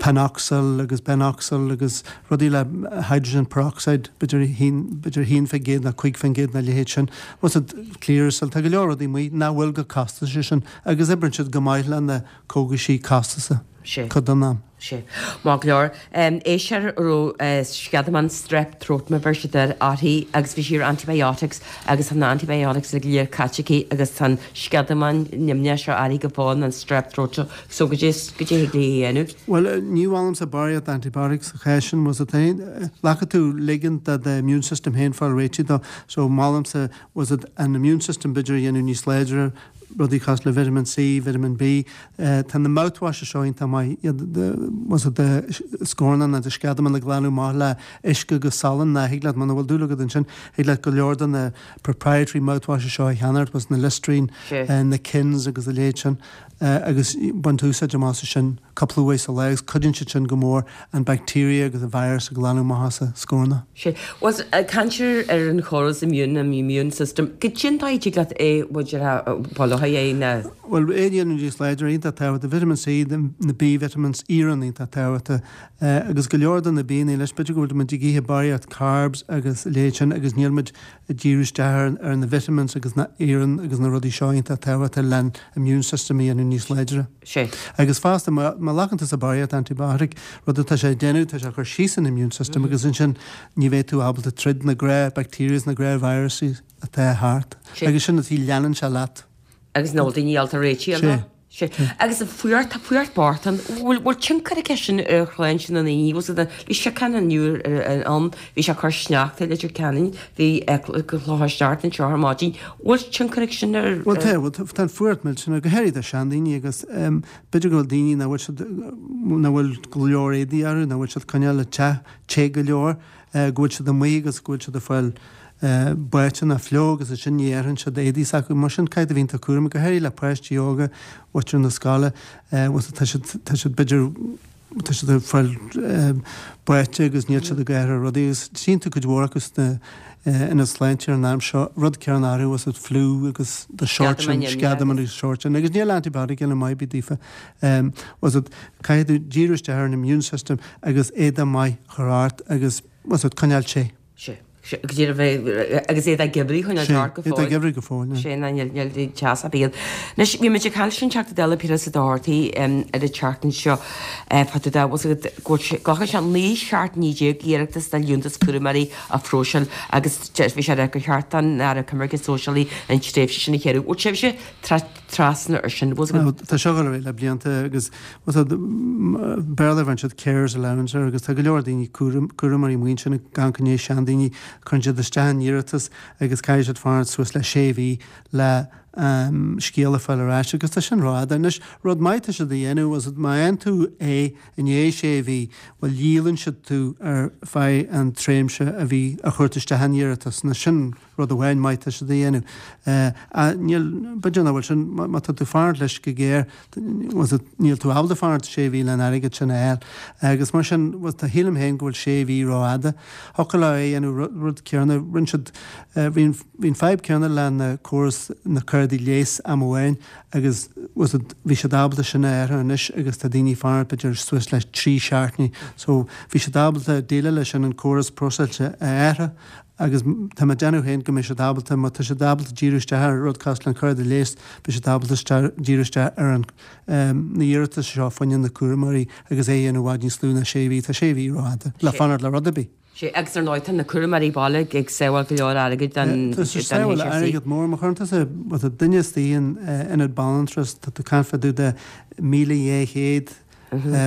Panoxyl agus Benoxyl agus rudaí le hydrogen peroxide, b'fhéidir b'fhéidir 1% nó 5% nó a leithéid sin. What's it, Clearasil, tá go leor rudaí amuigh nach bhfuil chomh costasach sin agus oibríonn siad go maith le na cógaisí costasa cuid den am. Sea. Maith go leor. Éisteoir a raibh sceadamán strep throat mar bheir siad air uirthi agus bhí sí ar antibiotics agus tá na antibiotics go léir caite aici agus tá an sceadamán nimhneach seo uirthi go fóill an strep throat seo so goidé goidé thig léi a dhéanamh. Bhuel, ní mholaimse barraíocht antibiotics sa chás sin, was it glacfaidh tú ligean do do immune system féin fáil réitithe dó, so molaimse was it an immune system b'fhéidir a dhéanamh níos láidre, rudaí cosúil le vitamin C, vitamin B. Tá na mouthwashes seo iontach maith, iad was it do scornach nó do sceadamán a ghlanadh amach le uisce agus salann ná thig leat muna bhfuil dúil agat ansin, thig leat go leor de na proprietary mouthwashes seo a cheannacht, was na Listerine, na Kins agus a leithéid sin agus baint úsáid amach as sin cúpla uair sa lá agus cuidíonn siad sin go mór an bacteria agus an virus a ghlanadh amach as an scornach. Sea. Bhuel, ag caint ar an chóras immune, an immune system, goidé an dóigh a dtig leat é, bhuel, bail ó Dhia air, na. Bhuel, é a dhéanamh níos láidre, iontach tábhachtach, vitamin C, na B vitamins, iarann iontach tábhachtach, agus go leor de na bianna leis, b'fhéidir go bhfuil muid ag ithe barraíocht carbs agus a leithéid sin agus níl muid ag díriú isteach ar na vitamins agus na iarann agus na rudaí seo iontach tábhachtach len immune system a dhéanamh níos láidre. Sea. Agus fosta, má ghlacann tusa barraíocht antibiotic, rud atá sé ag déanamh, tá sé ag cur síos an immune system agus ansin ní bheidh tú ábalta troid na gnáth bacteria is na gnáth viruses. atá thart. Agus sin an tí leanann sé leat. Agus nach bhfuil daoine ábalta réitigh air. Sea. Agus an fuacht, tá fuacht bocht ann. Bhfuil, bhfuil tionchar aige sin ar shláinte na ndaoine? Bhfuil siad, bhí siocán inniu ann, bhí sé ag cur sneachta i Leitir Ceanainn, bhí clocha sneachta anseo ar maidin. Bhfuil tionchar aige sin ar. Bhuel tá, bhuel tá an fuacht millteanach, go háirithe do seandaoine agus b'fhéidir go bhfuil daoine nach bhfuil siad, nach bhfuil go leor éadaí orthu, nach bhfuil siad coinneáil an teach te go leor. go bhfuil siad amuigh agus go bhfuil siad ag fáil báite nó fliuch agus ansin ní athraíonn siad éadaí s'acu. Mar sin caithfidh tú a bheith iontach cúramach, go háirithe le páistí óga, mhuintir na scoile, tá siad, tá siad b'fhéidir, tá siad ag fáil báite agus níl siad ag athrú rudaí agus tchíonn tú cuid mhór acu sna ionaid sláinte ar an am seo, rud céanna orthu is fliú agus the sort sin, sceadamán agus sort sin agus níl antibiotic eile maith ar bith daofa. Was it, caithfidh tú díriú isteach ar an immune system agus éadach maith a chur ort agus was it, coinneáil te. Sea, sea, go díreach bheith, agus éadach geimhridh a choinneáil ort go fóill. Sea, éadach geimhridh go fóill, yeah. Sea, ná níl, níl teas ar bith ann. Anois, bhí muid ag caint leis an Teachta Dála Piaras Ó Dochartaigh ar an tseachtain seo, fá dtaobh de, was it, go bhfuil sé, glacann sé 19 seachtaine iarratas do liúntas cúramóirí a phróiseáil agus bhí sé ag rá gur cheart don Aire Coimirce Sóisialaí an tréimhse sin a ghéarú. Bhfuil sibhse trasna ar sin. Bhfuil a fhios agat. Tá seo ag dul ar aghaidh le blianta agus bhfuil a fhios agat, Béarla bheireann siad carer's allowance air agus tá go leor daoine cúram, cúramóirí muintir na gan coinne seandaoine, cuireann siad isteach an iarratas agus caithfidh siad fanacht suas le sé mhí le scéal a fáil ar ais agus tá sin rófhada. Anois, rud maith atá siad a dhéanamh, bhfuil a fhios agat, má fhaigheann tú é i ndiaidh sé mhí, bhuel dhíolann siad tú ar feadh an tréimhse a bhí, a chuir tú isteach an iarratas, nó sin Rud amháin maith atá siad a dhéanamh. Níl, b'fhéidir nach bhfuil sin, má tá tú ag fanacht leis go géar, níl tú ábalta fanacht sé mhí le an airgead sin a fháil. Agus mar sin, tá, shílim féin go bhfuil sé mhí rófhada. Thiocfadh leo é a dhéanamh rud céanna, rinne siad, bhí an, bhí an fadhb céanna le na córas na cártaí leighis am amháin agus bhí siad ábalta sin a athrú anois agus tá daoine ag fanacht b'fhéidir suas le trí seachtainí. So bhí siad ábalta déileáil leis sin an córas próiseáilte a athrú Agus tá mé ag déanamh féin go mbeidh siad ábalta, má tá siad ábalta díriú isteach ar rud cosúil le an cárta leighis, beidh siad ábalta díriú isteach ar an, na hiarratais seo fá choinne na cúramóirí agus é a dhéanamh i bhfad níos lú ná sé mhí. Tá sé mhí rófhada le fanacht le rud ar bith. Sea, agus ar ndóigh tá na cúramóirí baile ag sábháil go leor airgid don Tá siad ag sábháil airgead mór. Má chuireann tusa, má tá duine istigh in ionad banaltrais, tá tú ag caint fá dtaobh de 1,200,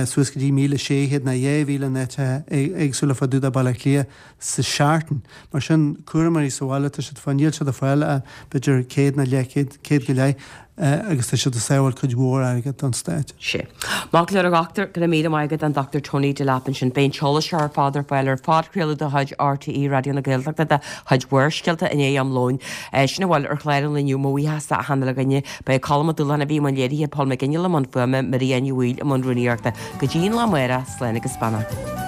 suas go dtí 1,600 nó 2,000 in áiteacha éagsúla fá dtaobh de Bhaile Átha Cliath sa seachtain. Mar sin, cúramóirí sa bhaile, tá siad fá, níl siad ag fáil ach b'fhéidir 100 nó leathchéad, 100 go leith, agus tá siad ag sábháil cuid mhór airgid don stát. Sea. Maith go leor a dhochtúir, go raibh míle maith agat, an Dr Tony Delap ansin. Beidh an t-eolas seo ar fad ar fáil ar phodchraoladh de chuid RTÉ Raidió na Gaeltachta de chuid Bharrscéalta i ndiaidh am lóin. Sin a bhfuil ar chlár an lae inniu, mo bhuíochas d'achan uile dhuine. Ba é Colm Ó Dúlacháin a bhí i mbun léirithe, Paul McGinley i mbun fuaime, Maria Ní Bhaoill i mbun rúnaíochta. Go dtí an lá amárach, slán agus beannacht.